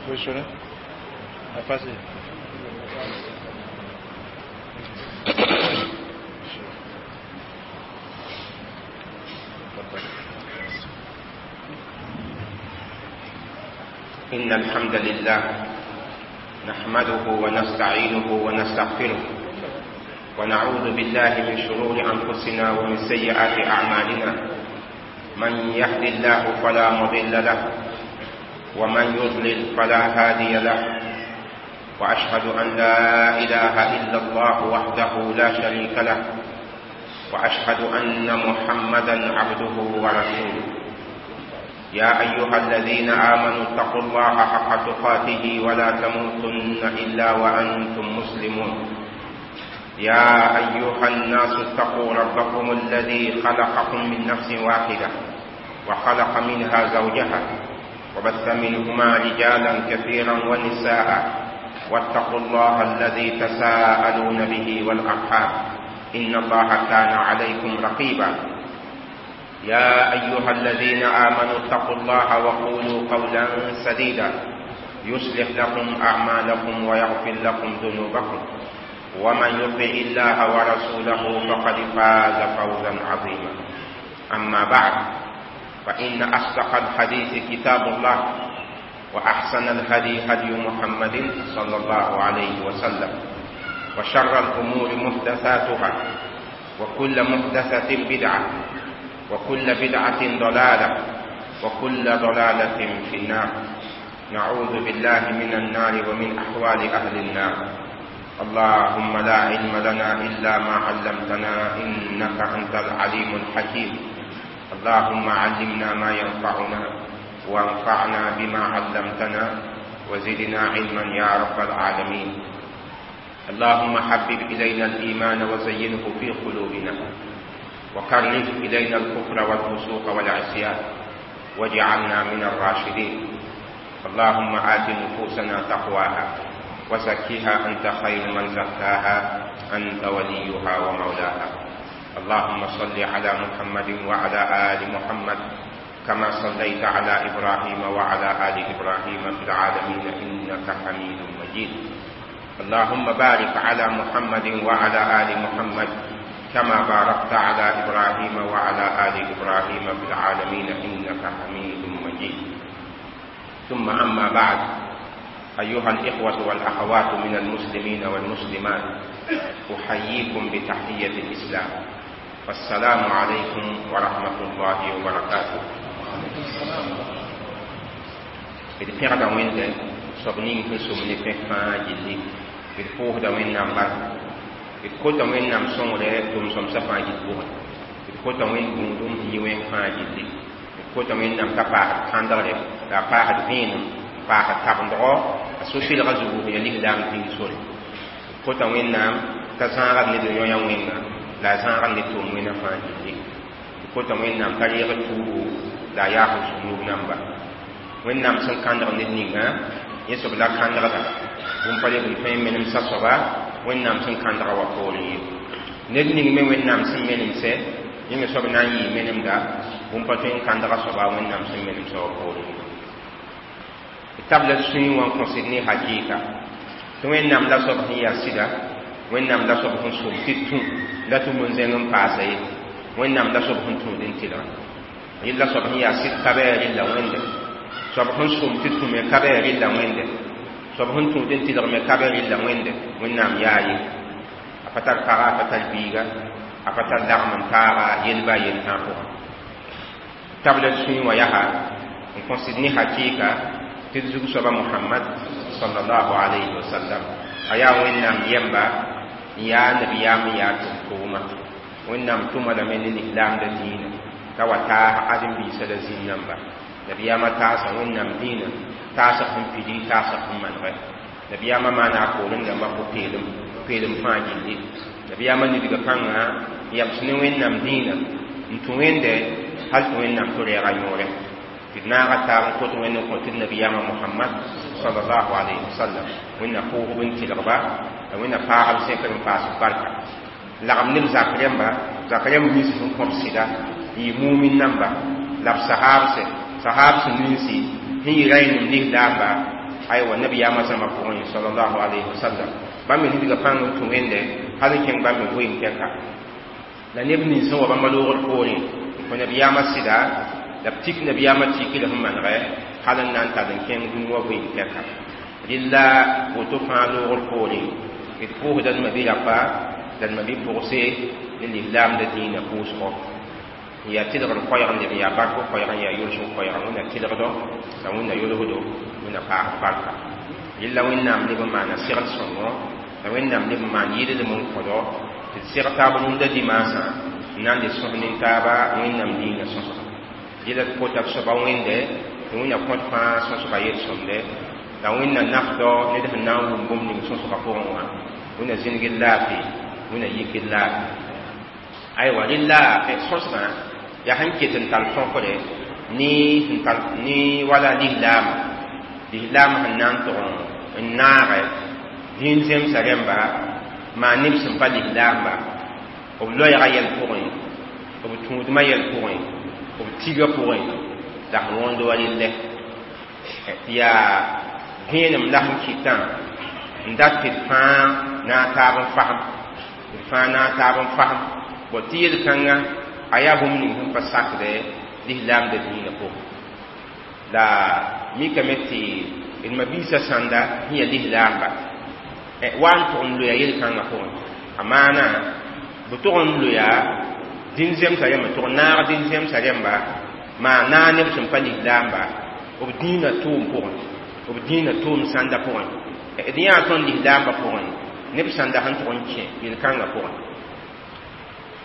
Positionné. Passez. إن الحمد لله نحمده ونستعينه ونستغفره ونعوذ بالله من شرور أنفسنا ومن سيئات أعمالنا. من يهد الله فلا مضل له ومن يضلل فلا هادي له، وأشهد أن لا إله إلا الله وحده لا شريك له، وأشهد أن محمدا عبده ورسوله. يا أيها الذين آمنوا اتقوا الله حق تقاته ولا تموتن إلا وأنتم مسلمون. يا أيها الناس اتقوا ربكم الذي خلقكم من نفس واحدة وخلق منها زوجها وبث منهما رجالا كثيرا ونساء، واتقوا الله الذي تساءلون به والأرحام إن الله كان عليكم رقيبا. يا أيها الذين آمنوا اتقوا الله وقولوا قولا سديدا يصلح لكم أعمالكم ويغفر لكم ذنوبكم، ومن يطع الله ورسوله فقد فاز فوزا عظيما. أما بعد، فإن أصدق الحديث كتاب الله، وأحسن الهدي هدي محمد صلى الله عليه وسلم، وشر الأمور محدثاتها، وكل محدثة بدعة، وكل بدعة ضلالة، وكل ضلالة في النار. نعوذ بالله من النار ومن أحوال أهل النار. اللهم لا علم لنا إلا ما علمتنا إنك أنت العليم الحكيم. اللهم علمنا ما ينفعنا، وانفعنا بما علمتنا، وزدنا علما يا رب العالمين. اللهم حبب إلينا الإيمان وزينه في قلوبنا، وكره إلينا الكفر والفسوق والعصيان، واجعلنا من الراشدين. اللهم آت نفوسنا تقواها وزكها أنت خير من زكاها، أنت وليها ومولاها. اللهم صل على محمد وعلى آل محمد كما صليت على إبراهيم وعلى آل إبراهيم في العالمين إنك حميد مجيد. اللهم بارك على محمد وعلى آل محمد كما باركت على إبراهيم وعلى آل إبراهيم في العالمين إنك حميد مجيد. ثم أما بعد، أيها الإخوة والأخوات من المسلمين والمسلمات، أحييكم بتحية الإسلام، والسلام عليكم ورحمة الله وبركاته. D pẽgda Wẽnde soab ning sẽn sʋm ne pẽk fãa gilli. D pʋʋsda Wẽnnaam barka. D kota Wẽnnaam sõngre tʋm-sõmsã fãa gill pʋgẽ. D kota Wẽnd gũudum n yɩ wẽng fãa gilli. D kota Wẽnnaam t'a paasd kãndgre, la a paasd vẽenem, n paasd tabendgɔ a so-sɩlgã zugu sẽn yaa lislaam dĩin sore. D kota Wẽnnaam t'a zãagd ned n yõ-yã wẽnga, la a zãagd ned tʋʋm wẽnã fãa gilli. D kota Wẽnnaam t'a reeg tuubu, la a yaas sũ-nuub namba. Wẽnnaam sẽn kãndg ned ninga, yẽ soab la kãndgda. Bũmb pa lebl tõe n menemsa soaba Wẽnnaam sẽn kãndga wa poorẽ ye. Ned ning me Wẽnnaam sẽn menemsɛ, yẽ me soab na n yɩɩ menemda, bũmb pa tõe n kãndga soaba Wẽnnaam sẽn menemsã wa poorẽ ye. D tabla d sũyẽ wã n kõsd ne hakɩɩka tɩ Wẽnnaam la soab sẽn yaa sɩda, Wẽnnaam la soab sẽn sʋm tɩ d tũ la tɩ bũn-zẽng n paasa ye, Wẽnnaam la soab sẽn tũud n tɩlga. Yella soab sẽn yaa sɩd ka bɩ a rella Wẽnde, soab sẽn sʋm tɩ tũ me ka bɩ a rella Wẽnde, soab sẽn tũud n tɩlg me ka bɩ a rella Wẽnde. Wẽnnaam yaa ye, a pa tar paga, a pa tar biiga, a pa tar lagm n taaga yel-ba a yel tãag pʋgẽ. Tabla d sũyẽ wã yaa n kõsd ne hakɩɩka tɩ d zug soaba Mohamad sallallahu alayhi wa sallam a yaa Wẽnnaam yɛmba, n yaa nabiyaam, n yaa tʋm-tʋʋma. Wẽnnaam tʋma lame ne lislaamda dĩinã t'a wa taas ãdem-biisã la zĩn namba. Nabiyaamã taasa Wẽnnaam dĩinã, taasg sẽn pidi, taasg sẽn manegɛ. Nabiyaamã maana a poorẽ dãmbã pʋ-peelem, peelem fãa gilli. Nabiyaamã nidga pãnga n yams ne Wẽnnaam dĩinã n tũ Wẽnde hal tɩ Wẽnnaam tɩ rɛɛga yõore. Tɩ d naaga taab n kot Wẽnd n kõ tɩ d nabiyaamã Mohamad sallallahu alayhi wa sallam. Wẽnna pʋʋsb n tɩlgba, la Wẽnna paasb sẽkr n paas barka. Lagm neb zak rẽmba, zak rẽmb nins sẽn kõt sɩda n yɩ mumin namba, la b sahaabse, sahaabs ninsi sẽn yɩ ray-nem lislaamba, Aywa, nabiyaamã zãma pʋgẽ, sallallahu alayhi wasallam, bãmb me wilga pãng n tũ Wẽnde hal n kẽng bãmb me vɩɩm tɛka. La neb nins sẽn wa bãmba loogr poorẽ n kõ nabiyaamã sɩda, la b tik nabiyaamã tikre sẽn manegɛ hal n na n tall n kẽng dũni wã vɩɩm tɛka. Rɩlla woto fãa loogr poorẽ, d pʋʋsda d ma-bi-rapa la d ma-bi-pʋgse ne lislaamda dĩinã pʋʋsgɔ n yaa tɩlgr koɛɛg n leb n yaa bark koɛɛg n yaa yolsg koɛɛg. Wẽnna tɩlgdo la Wẽnna yolsdo, Wẽnna paasd barka. Rɩlla Wẽnnaam leb n maana segl sõngo, la Wẽnnaam leb n maan yɩlem n kõdo tɩ d seg taab rũndã dimaasã n na n le sõs nin-taaba Wẽnnaam dĩinã sõsga. Rɩla d kota d soaba Wẽnde tɩ Wẽnna kõt fãa sõsga yel-sõmde, la Wẽnna nafdɔ ned sẽn na n wʋm bũmb ning sõsga pʋgẽ wã. Wẽnna zĩnigd laafɩ, Wẽnna yikd laafɩ. Aywa, rɩla sõsgã yaa sẽn ket n tar tõkre ne sẽn tar ne wala lislaama, lislaam sẽn na n tʋg n naagɛ dĩin zemsa rẽmba maan neb sẽn pa lislaamba, b loɛɛga yɛl pʋgẽ, b tũudmã yɛl pʋgẽ, b tiga pʋgẽ, la sẽn wõnd wa rɩllɛ tɩ yaa vẽenem la sẽn kɩtã n dat tɩ d fãa na n taab n fasem, d fãa na n taab n fasem bõ tɩ yel-kãngã a yaa bũmb ning sẽn pa sakdɛ lislaamda dĩinã pʋgẽ. La mikame tɩ d ma-biisã sãnda sẽn yaa lislaamba wa n tʋg n loya yel-kãngã pʋgẽ, a maana b tʋg n loya dĩn zemsã rẽmba, tʋg naag dĩn zemsã rẽmba maa naag neb sẽn pa lislaamba b dĩinã tʋʋm pʋgẽ, b dĩinã tʋʋm sãnda pʋgẽ. D yãa tõnd lislaambã pʋgẽ neb sãnda sẽn tʋg n kẽ yel-kãngã pʋgẽ.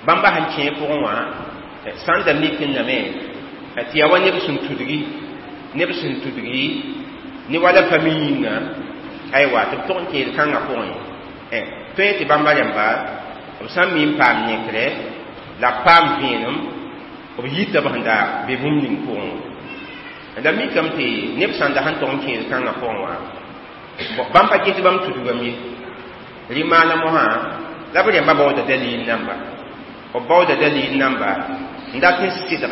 Bãmba sẽn kẽ pʋgẽ wã sãn da mik n name tɩ yaa wa neb sẽn tudgi, neb sẽn tudgi ne wala fami yĩnga. Aywa, tɩ b tʋg n kẽ yel-kãngã pʋgẽ, tõe tɩ bãmba rẽmba b sã n mi n paam yẽkre la b paam vẽenem, b yita b sẽn da be bũmb ning pʋgẽ wã. La mikame tɩ neb sãn da sẽn tʋg n kẽ yel-kãngã pʋgẽ wã, bãmb pa ges bãmb tudgame ye. Rɩ maana mosã la b rẽmba baooda dalil namba, b baooda dalil namba n dat n sɩdgɛ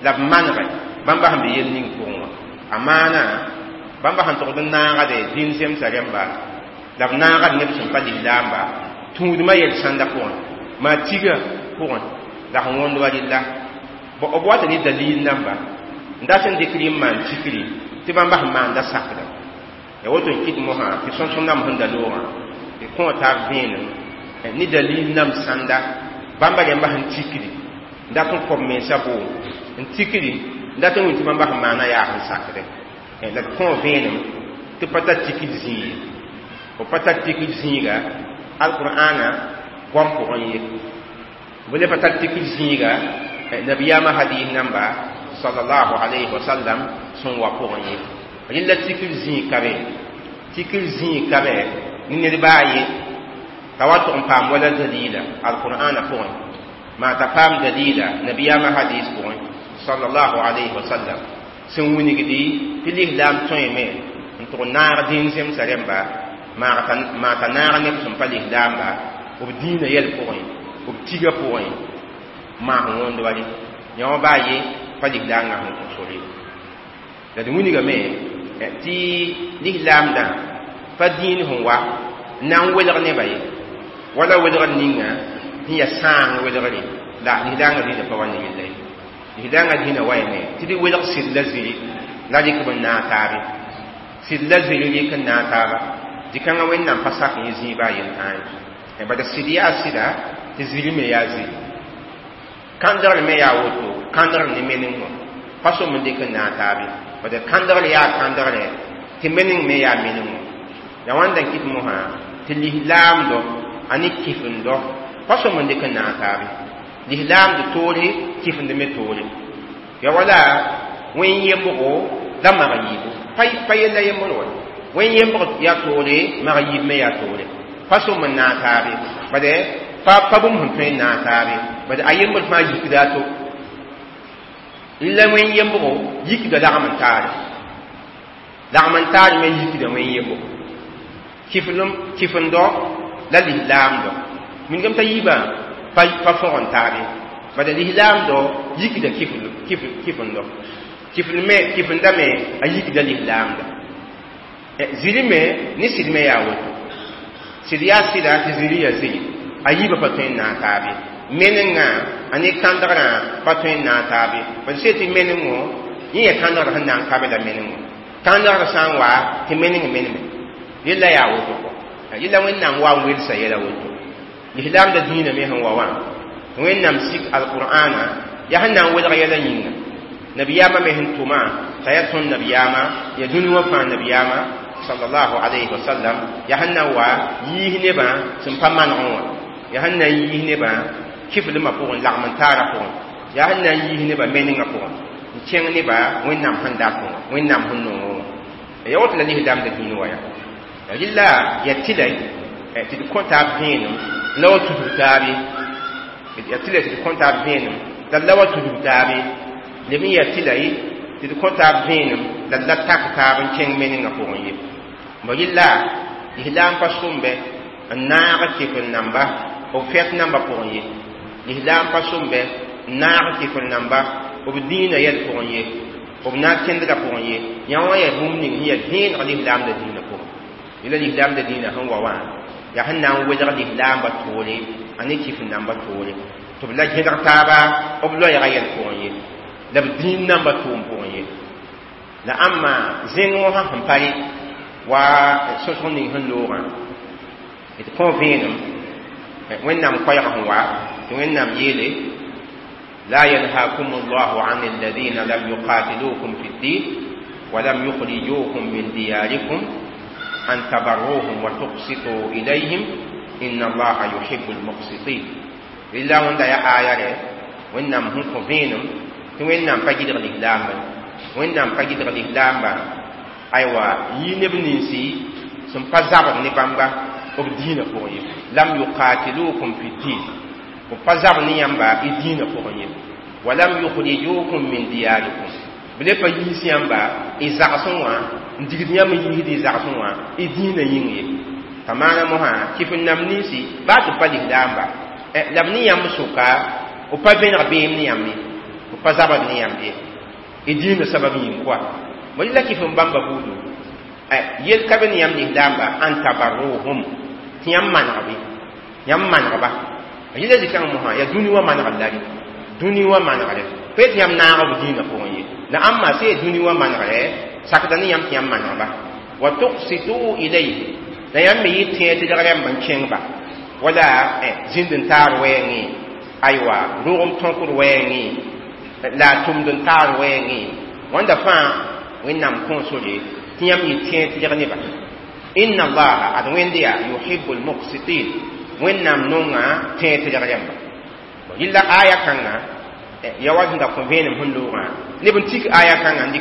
la b manegɛ bãmba sẽn be yel ning pʋgẽ wã. A maana bãmba sẽn tʋgd n naagde dĩn zemsã rẽmba la b naagd neb sẽn pa lislaamba tũudmã yɛl sãnda pʋgẽ, maa tiga pʋgẽ, la sẽn wõnd wa rɩlla b wata ne dalil namba n dat n dɩk rɩ n maan tikri tɩ bãmba sẽn maanda sakda. Ya woto n kɩt mosã tɩ sõsg nam sẽn da loogã tɩ kõ taab vẽenem ne dalil nam sãnda bãmba rẽmba sẽn tikri n dat n kõb mensã boom n tikri n dat n wĩn tɩ bãmba sẽn maana yaa sẽn sakdɛ. La d kõ vẽenem tɩ pa tar tikr zĩig ye, b pa tar tikr zĩiga alqur'ana goam pʋgẽ ye, b le pa tar tikr zĩiga nabiyaamã hadis namba sallallahu alayhi wa sallam sẽn wa pʋgẽ ye. Rẽlla tikr zĩig ka be, tikr zĩig ka be ne ned baa ye t'a wa tʋg n paam wala dalila alqur'ana pʋgẽ, maa t'a paam dalila nabiyaamã hadis pʋgẽ sallallahu alayhi wa sallam sẽn wilgdi tɩ lislaam tõeme n tʋg naag dĩin zemsã rẽmba, maa t'a naag neb sẽn pa lislaamba b dĩinã yɛl pʋgẽ, b tiga pʋgẽ, maa sẽn wõnd wa rẽ yã wã baa ye pa lislaangã sẽn kõ sore. La d wilgame tɩ lislaamdã pa dĩin sẽn wa n na n welg nebã ye, wala welgr ninga sẽn yaa sãang welgre la lislaangã dĩinã pa wa ne yella ye. Lislaangã dĩinã wayame tɩ d welg sɩd la ziri la rɩk b n naag taabe, sɩd la ziri rɩk n naag taaba. Dɩ-kãngã Wẽnnaam pa sak yẽ zĩig baa yel-tãa ye, bala sɩd yaa sɩda tɩ ziri me yaa ziri, kãndgr me yaa woto, kãndgr ne meneng wã pa sõm n dɩk n naag taabe, bala kãndgr yaa kãndgrɛ tɩ meneng me yaa meneng wã. Ya wãnda n kɩt mosã tɩ lislaamdɔ a ne kifendɔ pa sõm n dɩk n naag taabe, lislaamd toore kifend me toore. Ya wala wẽn yembgo la mag yiibu pa yella yembr wa, wẽn yembg yaa toore, mag yiib me yaa toore, pa sõm n naag taabe, bade pa bũmb sẽn tõe n naag taabe, bade a yembr fãa yikda a to. La wẽn yembgo yikda lagm n taare, lagm n taar me yikda wẽn yembgo kifendɔ la lislaamdɔ wilgame t'a yiibã pa fõg n taabe, bala lislaamdɔ yikda kifendɔ, kifenda me a yikda lislaamda. Zĩri me ne sɩd me yaa woto. Sɩd yaa sɩda tɩ zĩri ya zĩri. A yiibã pa tõe n naag taab ye. Menengã a ne kãndgrã pa tõe n naag taab ye. B sẽn tɩ menengo yẽ yaa kãndgrã sẽn na n ka be la menengo. Kãndgrã sã n wa tɩ meneng meneme. Yella yaa woto kɔ. Yella Wẽnnaam wa n welsa yɛla woto. Lislaamda dĩinã me sẽn wa wã, Wẽnnaam sik alqur'ana yaa sẽn na n welg yɛla yĩnga. Nabiyaamã me sẽn tʋmã t'a yaa tõnd nabiyaamã, yaa dũni wã fãa nabiyaamã sallallahu alayhi wa sallam, yaa sẽn na n wa yiis nebã sẽn pa manegẽ wã, yaa sẽn na n yiis nebã kiflmã pʋgẽ, lagm n taarã pʋgẽ, yaa sẽn na n yiis nebã menengã pʋgẽ, n kẽng nebã Wẽnnaam sẽn dat wã, Wẽnnaam sẽn nongẽ wã. Ya woto la lislaamda dĩinã wa yaa. Rɩla yaa tɩlɛ tɩ d kõ taab vẽenem la wa tudg taab ye. Yaa tɩlɛ tɩ d kõ taab vẽenem la d la wa tudg taab ye. Leb n yaa tɩlɛ tɩ d kõ taab vẽenem la d la tak taab n kẽng menengã pʋgẽ ye. Bõ rɩla lislaam pa sõmbe n naag kɩf n namba b fɛt namba pʋgẽ ye. Lislaam pa sõmbe n naag kɩf n namba b dĩinã yɛl pʋgẽ ye, b naag kẽndgã pʋgẽ ye. Yã wã yaa bũmb ning sẽn yaa vẽeneg lislaamda dĩinã pʋgẽ. Yẽla lislaamda dĩinã sẽn wa wã yaa sẽn na n welg lislaambã toore a ne kɩf n namba toore tɩ b la gẽdg taaba b loɛɛgã yɛl pʋgẽ ye, la b dĩin namba tʋʋm pʋgẽ ye. La ãmma zẽng wã sẽn pa re wa sõsg ning sẽn loogã d kõ vẽenem Wẽnnaam koɛɛg sẽn wa tɩ Wẽnnaam yeele: لا ينهاكم الله عن الذين لم يقاتلوكم في الدين ولم يخرجوكم من دياركم أن تبروهم وتقسطوا إليهم إن الله يحب المقسطين. إلا وند يا آية وإنهم هم كفينهم وإنهم فجد الإسلام وإنهم فجد الإسلام أيوة ينبنسي ثم فزار نبامبا وبدين فوقي لم يقاتلوكم في الدين وفزار نيامبا الدين فوقي ولم يخرجوكم من دياركم بلي pa yiis yãmba y zagsẽ wã n digd yãmb n yiisd y zagsẽ wã y dĩinã yĩng ye. T'a maana mosã kɩf n nam ninsi baa tɩ b pa lislaamba la b ne yãmb sʋka b pa vẽneg beem ne yãmb ye, b pa zabd ne yãmb ye y dĩinã sabab yĩng koa. Bõ la kɩf n bãmba buudu yel ka be ne yãmb lislaamba an tabarruhum tɩ yãmb manegbe, yãmb manegba. Yẽla zikãng mosã yaa dũni wã manegr la re, dũni wã manegre pa tɩ yãmb naag b dĩinã pʋgẽ ye. La ãmba sã yaa dũni wã manegre sakda ne yãmb tɩ yãmb manegba. Wa tuqsitu ilayhi la yãmb me yɩ tẽeg tɩ rãmb n kẽngba wala zĩnd n taar wɛɛngẽ, aywa rogem tõkd wɛɛngẽ la a tʋmd n taar wɛɛngẽ. Wãnda fãa Wẽnnaam kõo sore tɩ yãmb yɩ tẽeg tɩ neba. Inna allaha ad Wẽnd yaa yuhibu lmuqsitin, Wẽnnaam nonga tẽeg tɩ rãmba. Yilla aya kãnga ya wa sẽn da kõ vẽenem sẽn loogã neb n tik aya kãngã n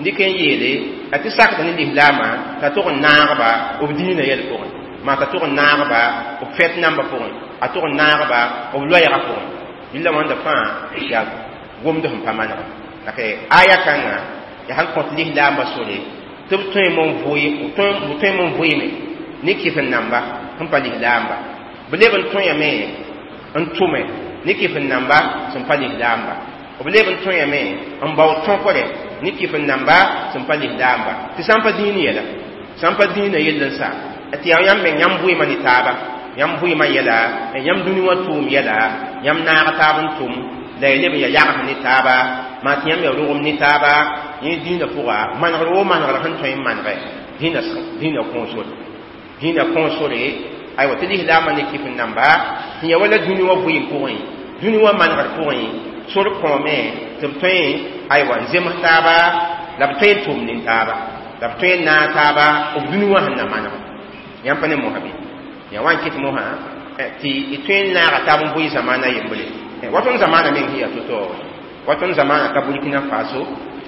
dɩk n yeele a tɩ sakd ne lislaamã t'a tog n naagba b dĩinã yɛl pʋgẽ, maa t'a tog n naagba b fɛt nambã pʋgẽ, a tog n naagba b loɛɛgã pʋgẽ. Yilla wãnda fãa yaa gomd sẽn pa manega. La aya kãngã yaa sẽn kõt lislaambã sore tɩ b tõe n vʋɩme ne kɩf n namba sẽn pa lislaamba, b leb n tõe n tʋme ne kɩf n namba sẽn pa lislaamba, b leb n tõe n bao tõkre ne kɩf n namba sẽn pa lislaamba. Tɩ sã n pa dĩin yɛla, sã n pa dĩinã yell n sa tɩ yaa yãmb meng yãmb vʋɩɩmã ne taaba, yãmb vʋɩɩmã yɛla, yãmb dũni wã tʋʋm yɛla, yãmb naag taab n tʋm la y leb n ya yags ne taaba, maa tɩ yãmb ya rogem ne taaba. Yẽ dĩinã pʋga manegr woo manegr sẽn tõe n manegɛ dĩinã kõo sore, dĩinã kõo sore aywa tɩ lislaambã ne kɩf n namba tɩ ya wala dũni wã vʋɩɩm pʋgẽ, dũni wã manegr pʋgẽ sor kõome tɩ b tõe aywa n zems taaba la b tõe n tʋm nin taaba la b tõe n naag taaba b dũni wã sẽn na maneg. Yãmb pa ne mosã bɩ yaa wa n kɩt mosã tɩ y tõe n naaga taab n bʋɩ zamaana yembre. Wa tõnd zamaana meng sẽn yaa to-to, wa tõnd zamaana ka Burkina Faso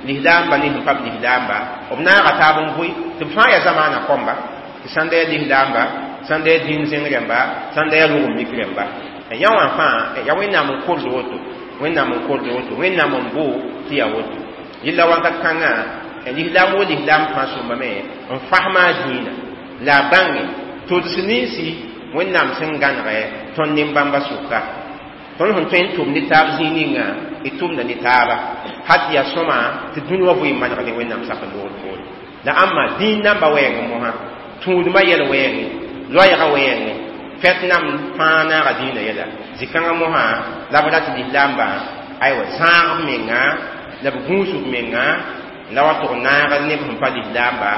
lislaamba ne sẽn pa b lislaamba b naaga taab n vʋɩ tɩ b fãa yaa zamaana kõmba, tɩ sãn da yaa lislaamba, sãn da yaa dĩin zẽng rẽmba, sãn da yaa rogem mik rẽmba. Yã wã fãa yaa Wẽnnaam n kord woto, Wẽnnaam n kord woto, Wẽnnaam n boo tɩ yaa woto. Yella wakat kãngã lislaam wo lislaam fãa sõmbame n fasma a dĩinã la a bãnge tʋds ninsi Wẽnnaam sẽn gãnegɛ tõnd nin-bãmba sʋka. Tõnd sẽn tõe n tʋm ne taab zĩig ninga y tʋmda ne taaba hat yaa sõma tɩ dũni wã vʋɩ maneg ne Wẽnnaam sak n loogd poore. La amma dĩin namba wɛɛngẽ mosã tũudmã yɛl wɛɛngẽ loɛɛgã wɛɛngẽ fɛt nam fãa naaga dĩinã yɛla zĩ-kãngã mosã la b rat lislaambã aywa zãag b menga la b gũus b menga la wa tʋg naag neb sẽn pa lislaamba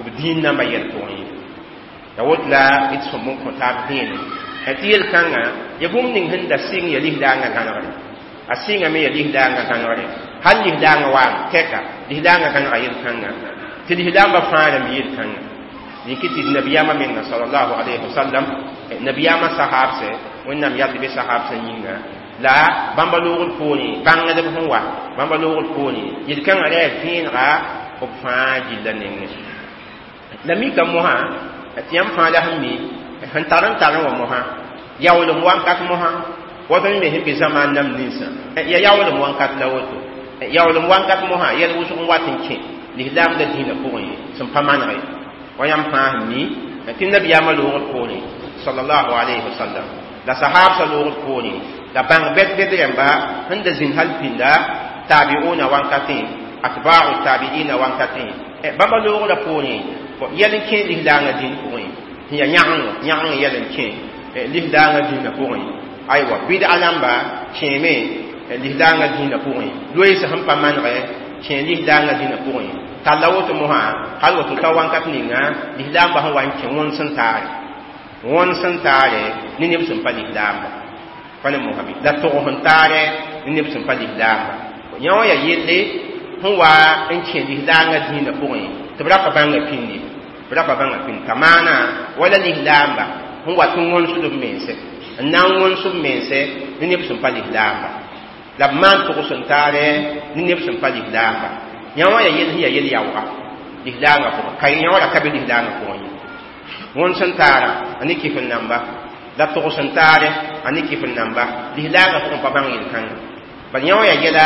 b dĩin namba yɛl pʋgẽ ye la woto la d sõm n kõ taab vẽenem tɩ yel-kãngã ya bũmb ning sẽn da sɩng ya lislaangã gãnegre a sɩngame ya lislaangã gãnegre hal lislaangã waa tɛka lislaangã gãnega yel-kãngã tɩ lislaambã fãa rãmb yel-kãngã yĩk tɩ nabiyaamã menga sallallahu alayhi wa sallam nabiyaamã sahaabsɛ wẽnnaam yald be sahaabsã yĩnga la bãmba loogr poorẽ bãngdb sẽn wa bãmba loogr poorẽ yel-kãngã ra yaa vẽenega b fãa gilla nengẽ la mika mosã tɩ yãmb fãa la sẽn mi sẽn tar n tar n wa mosã yaoolem wakat mosã wa tõnd me sẽn be zamaan nam ninsã ya yaoolem wakat la woto yaoolem wakat mosã yɛl wʋsg n wat n kẽ lislaam la dĩinã pʋgẽ sẽn pa maneg ye wa yãmb fãa sẽn mi tɩ nabiyaamã loogr poorẽ sallallahu alayhi wa sallam la sahabsã loogr poorẽ la bãng bɛd-bɛd rãmba sẽn da zĩnd hal pĩnda tabiuna wankatẽ atba'u tabiina wankatẽ bãmba loogrã poorẽ yɛl n kẽ lislaangã dĩin pʋgẽ sẽn yaa yãgengo yãgeng yɛl n kẽ lislaangã dĩinã pʋgẽ aywa bɩd'a namba kẽeme lislaangã dĩinã pʋgẽ loees sẽn pa manegɛ kẽ lislaangã dĩinã pʋgẽ talla woto mosã hal woto ta wankat ninga lislaambã sẽn wa n kẽ wõns n taare ne neb sẽn pa lislaamba pa ne mosã bɩ la tog sẽn taare ne neb sẽn pa lislaamba yã wã yaa yelle sẽn wa n kẽ lislaangã dĩinã pʋgẽ tɩ b ra pa bãnga pĩndi b ra pa bãnga pĩnd t'a maana wala lislaamba sẽn wat n wõnsd b mense n na n wõns b mense ne neb sẽn pa lislaamba la b maan togs n taare ne neb sẽn pa lislaamba yã wã yaa yel sẽn yaa yel yaooga lislaangã pʋgẽ ka yã wã ra ka be lislaangã pʋgẽ ye wõns n taara a ne kɩf n namba la togs n taare a ne kɩf n namba lislaangã pʋgẽ pa bãng yel-kãngã bal yã wã yaa yɛla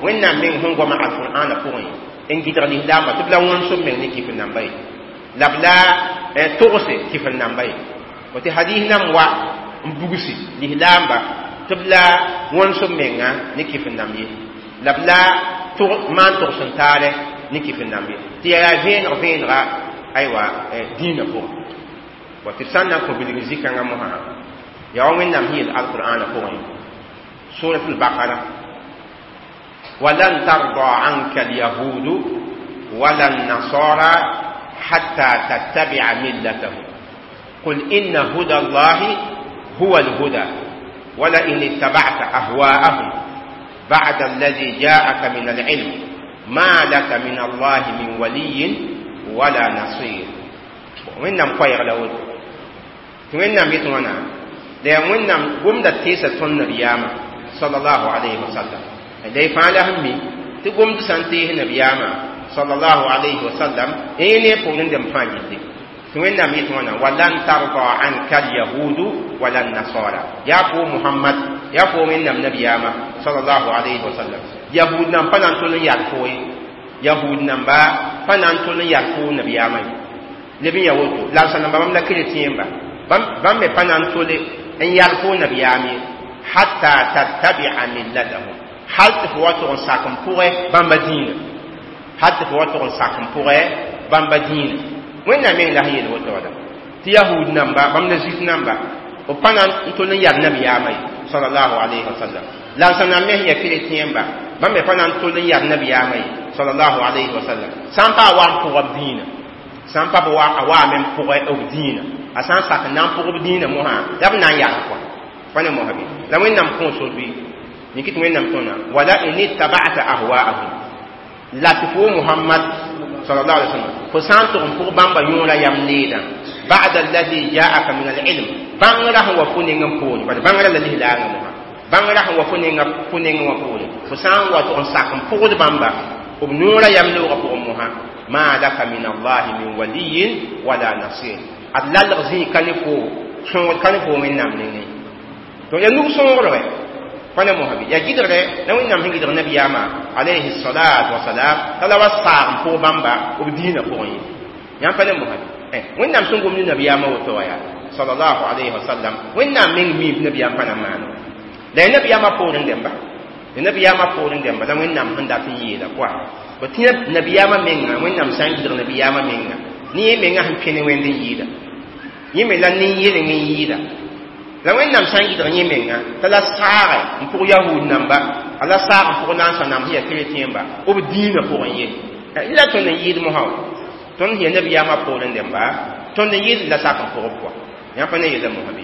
wẽnnaam meng sẽn goama alqur'ãna pʋgẽ n gɩdg lislaambã tɩ b la wõns b meng ne kɩf n namba ye la b la togse kɩf n namba ye tɩ hadis nam wa n bugsi lislaamba tɩ b la wõns b menga ne kɩf n namb ye la b la maan togs n taare ne kɩf n namb ye tɩ yaa vẽeneg vẽenega aywa dĩinã pʋgẽ wa tɩ b sã n na n kõ bilg zĩ-kãngã mosã yaa wa wẽnnaam sẽn yel alqur'ãna pʋgẽ surat al-baqara ولن ترضى عنك اليهود ولا النصارى حتى تتبع ملتهم قل إن هدى الله هو الهدى ولئن اتبعت أهواءهم بعد الذي جاءك من العلم ما لك من الله من ولي ولا نصير وإنم قير لود وإنم يتوانا لأن وإنم قمد تيسة النبيامة صلى الله عليه وسلم لي فعلهم تقوم تسنتيه نبيامة صلى الله عليه وسلم إني قولن دم فاجد وإنم يتوانا ولن ترضى عنك اليهود ولا النصارى يا فو محمد يا فو إنم نبيامة صلى الله عليه وسلم يهود نم فنان تولن يرفوي يهود نم با فنان تولن يرفو نبيامة لبن يهود لا سنم بام لا كريتين با بام فنان تولن ان يرفو نبيامة حتى تتبع ملتهم hal tɩ fo wa tʋg n sak n pʋgɛ bãmba dĩinã hal tɩ fo wa tʋg n sak n pʋgɛ bãmba dĩinã wẽnnaam meng la sẽn yel woto wala tɩ yahud namba bãmb la zuif namba b pa na n tol n yar nabiyaamã ye sallallahu alayhi wa sallam la n sã na n me sẽn ya keretẽemba bãmb me pa na n tol n yar nabiyaamã ye sallallahu alayhi wa sallam sã n pa a wa n pʋga b dĩinã sã n pa b wa a waame n pʋgɛ b dĩinã a sã n sak n na n pʋg b dĩinã mosã la b na n yar kɔa pa ne mosã bɩ la wẽnnaam kõo sor bɩ yĩk tɩ wẽnnaam tõna wala in ittaba'ta ahwa'ahum la tɩ fo muhammad sallallahu alaihi wasallam fo sã n tʋg n pʋg bãmba yõora yam needã ba'da alladhi ja'aka min al-ilm bãngrã sẽn wa fo neng n poore bad bãngrã la lislaangã mosã bãngrã sẽn wa fo neng wã poore fo sã n wa tʋg n sak n pʋgd bãmba b noora yam loogã pʋgẽ mosã ma laka min allahi min waliyin wala nasir ad lalg zĩig ka ne fo sõogd ka ne fo wẽnnaam nengẽ donc ya nug sõogre pa ne mosã bɩ ya gɩdgre la wẽnnaam sẽn gɩdg nabiyaamã alayhi salatu wasalam t'a la wa saag n pʋg bãmba b dĩinã pʋgẽ ye yãmb pa ne mosã bɩ wẽnnaam sẽn gom ne nabiyaamã woto wa yaa sallallahu alayhi wa sallam wẽnnaam meng miib nabiyaam pa na maana la ya nabiyaamã poorẽ dẽmba ya nabiyaamã poorẽ dẽmba la wẽnnaam sẽn dat n yeela kɔa Bõ tɩ nabiyaamã menga Wẽnnaam sã n gɩdg nabiyaamã menga ne yẽ menga sẽn kẽ ne wẽnd n yɩɩda yẽ me la nin-yeleng n yɩɩda la Wẽnnaam sã n gɩdg yẽ menga t'a la saagɛ n pʋg yahud namba a la saag n pʋg nansã namb sẽn yaa keretẽemba b dĩinã pʋgẽ ye la tõnd n yɩɩd mosã tõnd sẽn yaa nabiyaamã poorẽ dẽmba tõnd n yɩɩd la sak n pʋgb pʋga yãmb pa ne yeela mosã bɩ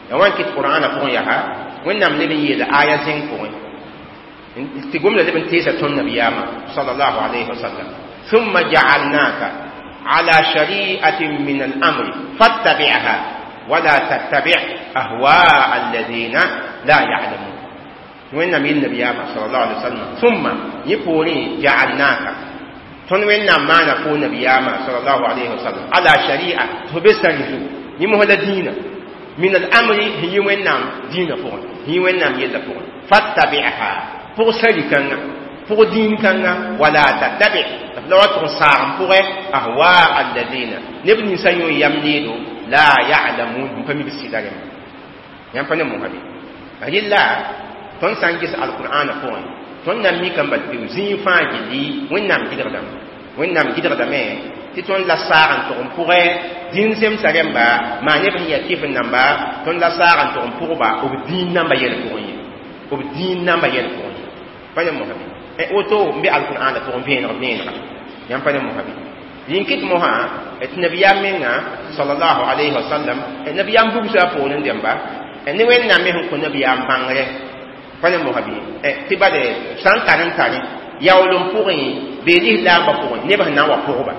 ya wan kɩt qur'aanã pʋgẽ yaa Wẽnnaam leb n yeela aya zẽng pʋgẽ tɩ gomda leb n teesa tõnd nabiyaamã sallallahu alayhi wa sallam thumma ja'alnaka ala shari'atin min al-amri fattabi'ha wala tattabi' ahwa'a alladhina la ya'lamun Wẽnnaam yel nabiyaamã sallallahu alayhi wa sallam thumma yẽ poorẽ ja'alnaka tõnd Wẽnnaam maana fo nabiyaamã sallallahu alayhi wa sallam ala shari'a tɩ fo be sari zugu yẽ mos la dĩinã min al-amri sẽn yɩ Wẽnnaam dĩinã pʋgẽ sẽn yɩ Wẽnnaam yellã pʋgẽ fattabi'ha pʋg sari kãnga pʋg dĩin kãnga wala tattabi' la wa tʋg n saag n pʋgɛ ahwaa alladhina neb ninsã yõ yam needo la ya'lamun n pa mi b sɩda rẽmba yãmb pa ne mosã bɩ rɩla tõnd sã n ges alqur'aanã pʋgẽ tõnd na n mikame bal tɩ zĩig fãa gilli Wẽnnaam gɩdgdame Wẽnnaam gɩdgdame tɩ tõnd la saag n tʋg n pʋgɛ dĩin zemsa rẽmba maa neb sẽn yaa kɩf n namba tõnd la saag n tʋg n pʋgba b dĩin namba yɛl pʋgẽ ye b dĩin namba yɛl pʋgẽ ye pa ne mosã bɩ woto n be alqur'aanã pʋgẽ vẽeneg vẽenega yãmb pa ne mosã bɩ yĩn-kɩt mosã tɩ nabiyaam menga sallallahu alayhi wa sallam nabiyaam bugsa a poorẽ dẽmba ne Wẽnnaam me sẽn kõ nabiyaam bãngre pa ne mosã bɩ tɩ bade sã n tar n tare yaool n pʋgẽ bee lislaambã pʋgẽ neb sẽn na n wa pʋgba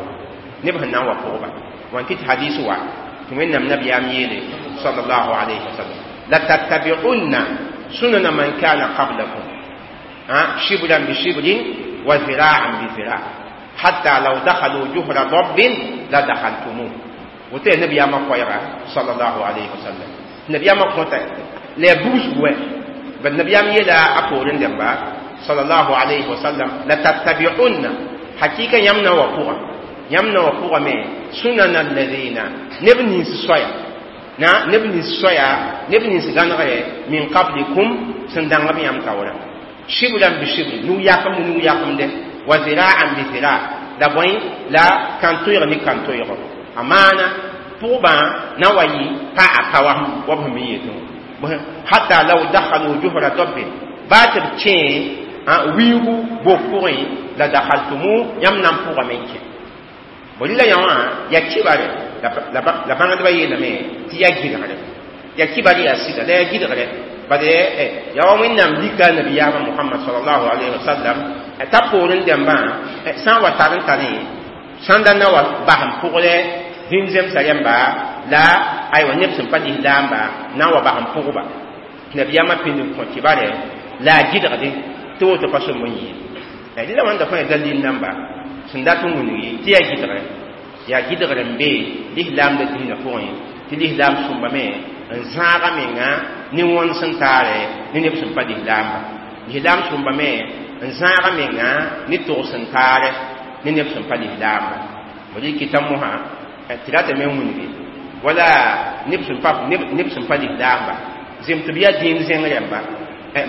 neb sẽn na n wa pʋgba wan kɩt hadis wa tɩ Wẽnnaam nabiyaam yeele sallallahu alayhi wa sallam la tattabi'unna sunana man kana qablakum shibran bi shibrin wa zira'an bi zira' hatta law dakhalu juhra dabbin la dakhaltumuh woto yaa nabiyaamã koɛɛga sallallahu alayhi wa sallam nabiyaamã kõta la yaa bugsg wɛ bad nabiyaam yeela a poorẽ dẽmba sallallahu alayhi wa sallam la tattabi'unna hakika yãmb na wa pʋga yãmb na wa pʋga me sunana alladhina neb nins soaya na neb nins soaya neb nins gãnegre min qablikum sẽn dãng b yãmb taoora shibran bi shibrin nug yakem ne nug yakemde wa zira'an bi zira' la bõe la kãn-toeeg ne kãn-toeego a maana pʋgbã na wa yɩ pa a pa wa b sẽn me yetẽ hatta law dakhalu juhra dabbin baa tɩ b kẽ wiigu bok pʋgẽ la dakhaltumu yãmb na n pʋgame n kẽ bõ rɩla yã wã yaa kibare la bãngdbã yeelame tɩ yaa gɩdgre yaa kibare yaa sɩda la yaa gɩdgre bade yaa wa Wẽnnaam lika nabiyaamã Muhammad sallallahu alayhi wa sallam t'a poorẽ dẽmbã sã n wa tar n tare sãnda na wa bas n pʋgrɛ dĩn zemsa rẽmba la aywa neb sẽn pa lislaamba na n wa bas n pʋgba tɩ nabiyaamã pĩnd n kõ kibare la a gɩdgde tɩ woto pa sõm n yɩɩ rɩla wãnda fãa yaa dalil namba sẽn dat n wilgi tɩ yaa gɩdgr n be lislaamda dĩinã pʋgẽ tɩ lislaam sõmbame n zãaga menga ne wõns n taare ne neb sẽn pa lislaamba lislaam sõmbame n zãaga menga ne togs n taare ne neb sẽn pa lislaamba b rɩkɩta mosã tɩ ratame n wilgi wala neb sẽn pa lislaamba zem tɩ b yaa dĩin zẽng rẽmba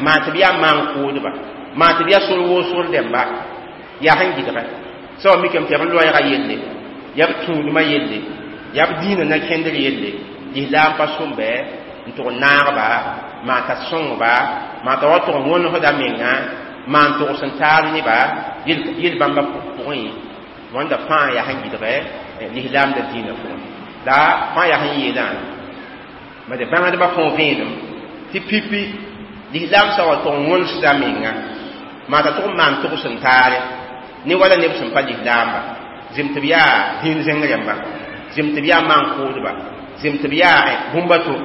maa tɩ b yaa maan-kʋʋdba maa tɩ b yaa sor woosgr dẽmba yaa sẽn gɩdgɛ sã wa mikame tɩ yaa b loɛɛga yelle yaa b tũudmã yelle yaa b dĩinã na kẽndr yelle lislaam pa sõmbɛ n tʋg n naagba maa t'a sõngba maa t'a wa tʋg n wõnesda menga maan togs n taar neba yel bãmba pʋgẽ wãnda fãa yaa sẽn gɩdgɛ lislaamda dĩinã pʋgẽ la fãa yaa sẽn yeelã bade bãngdbã kõo vẽenem tɩ pipi lislaam sã wa tʋg n wõnesda menga maa t'a tʋg n maan togs n taare ne wala neb sẽn pa lislaamba zem tɩ b yaa dĩin zẽng rẽmba zem tɩ b yaa maan-kʋʋdba zem tɩ b yaa bũmba to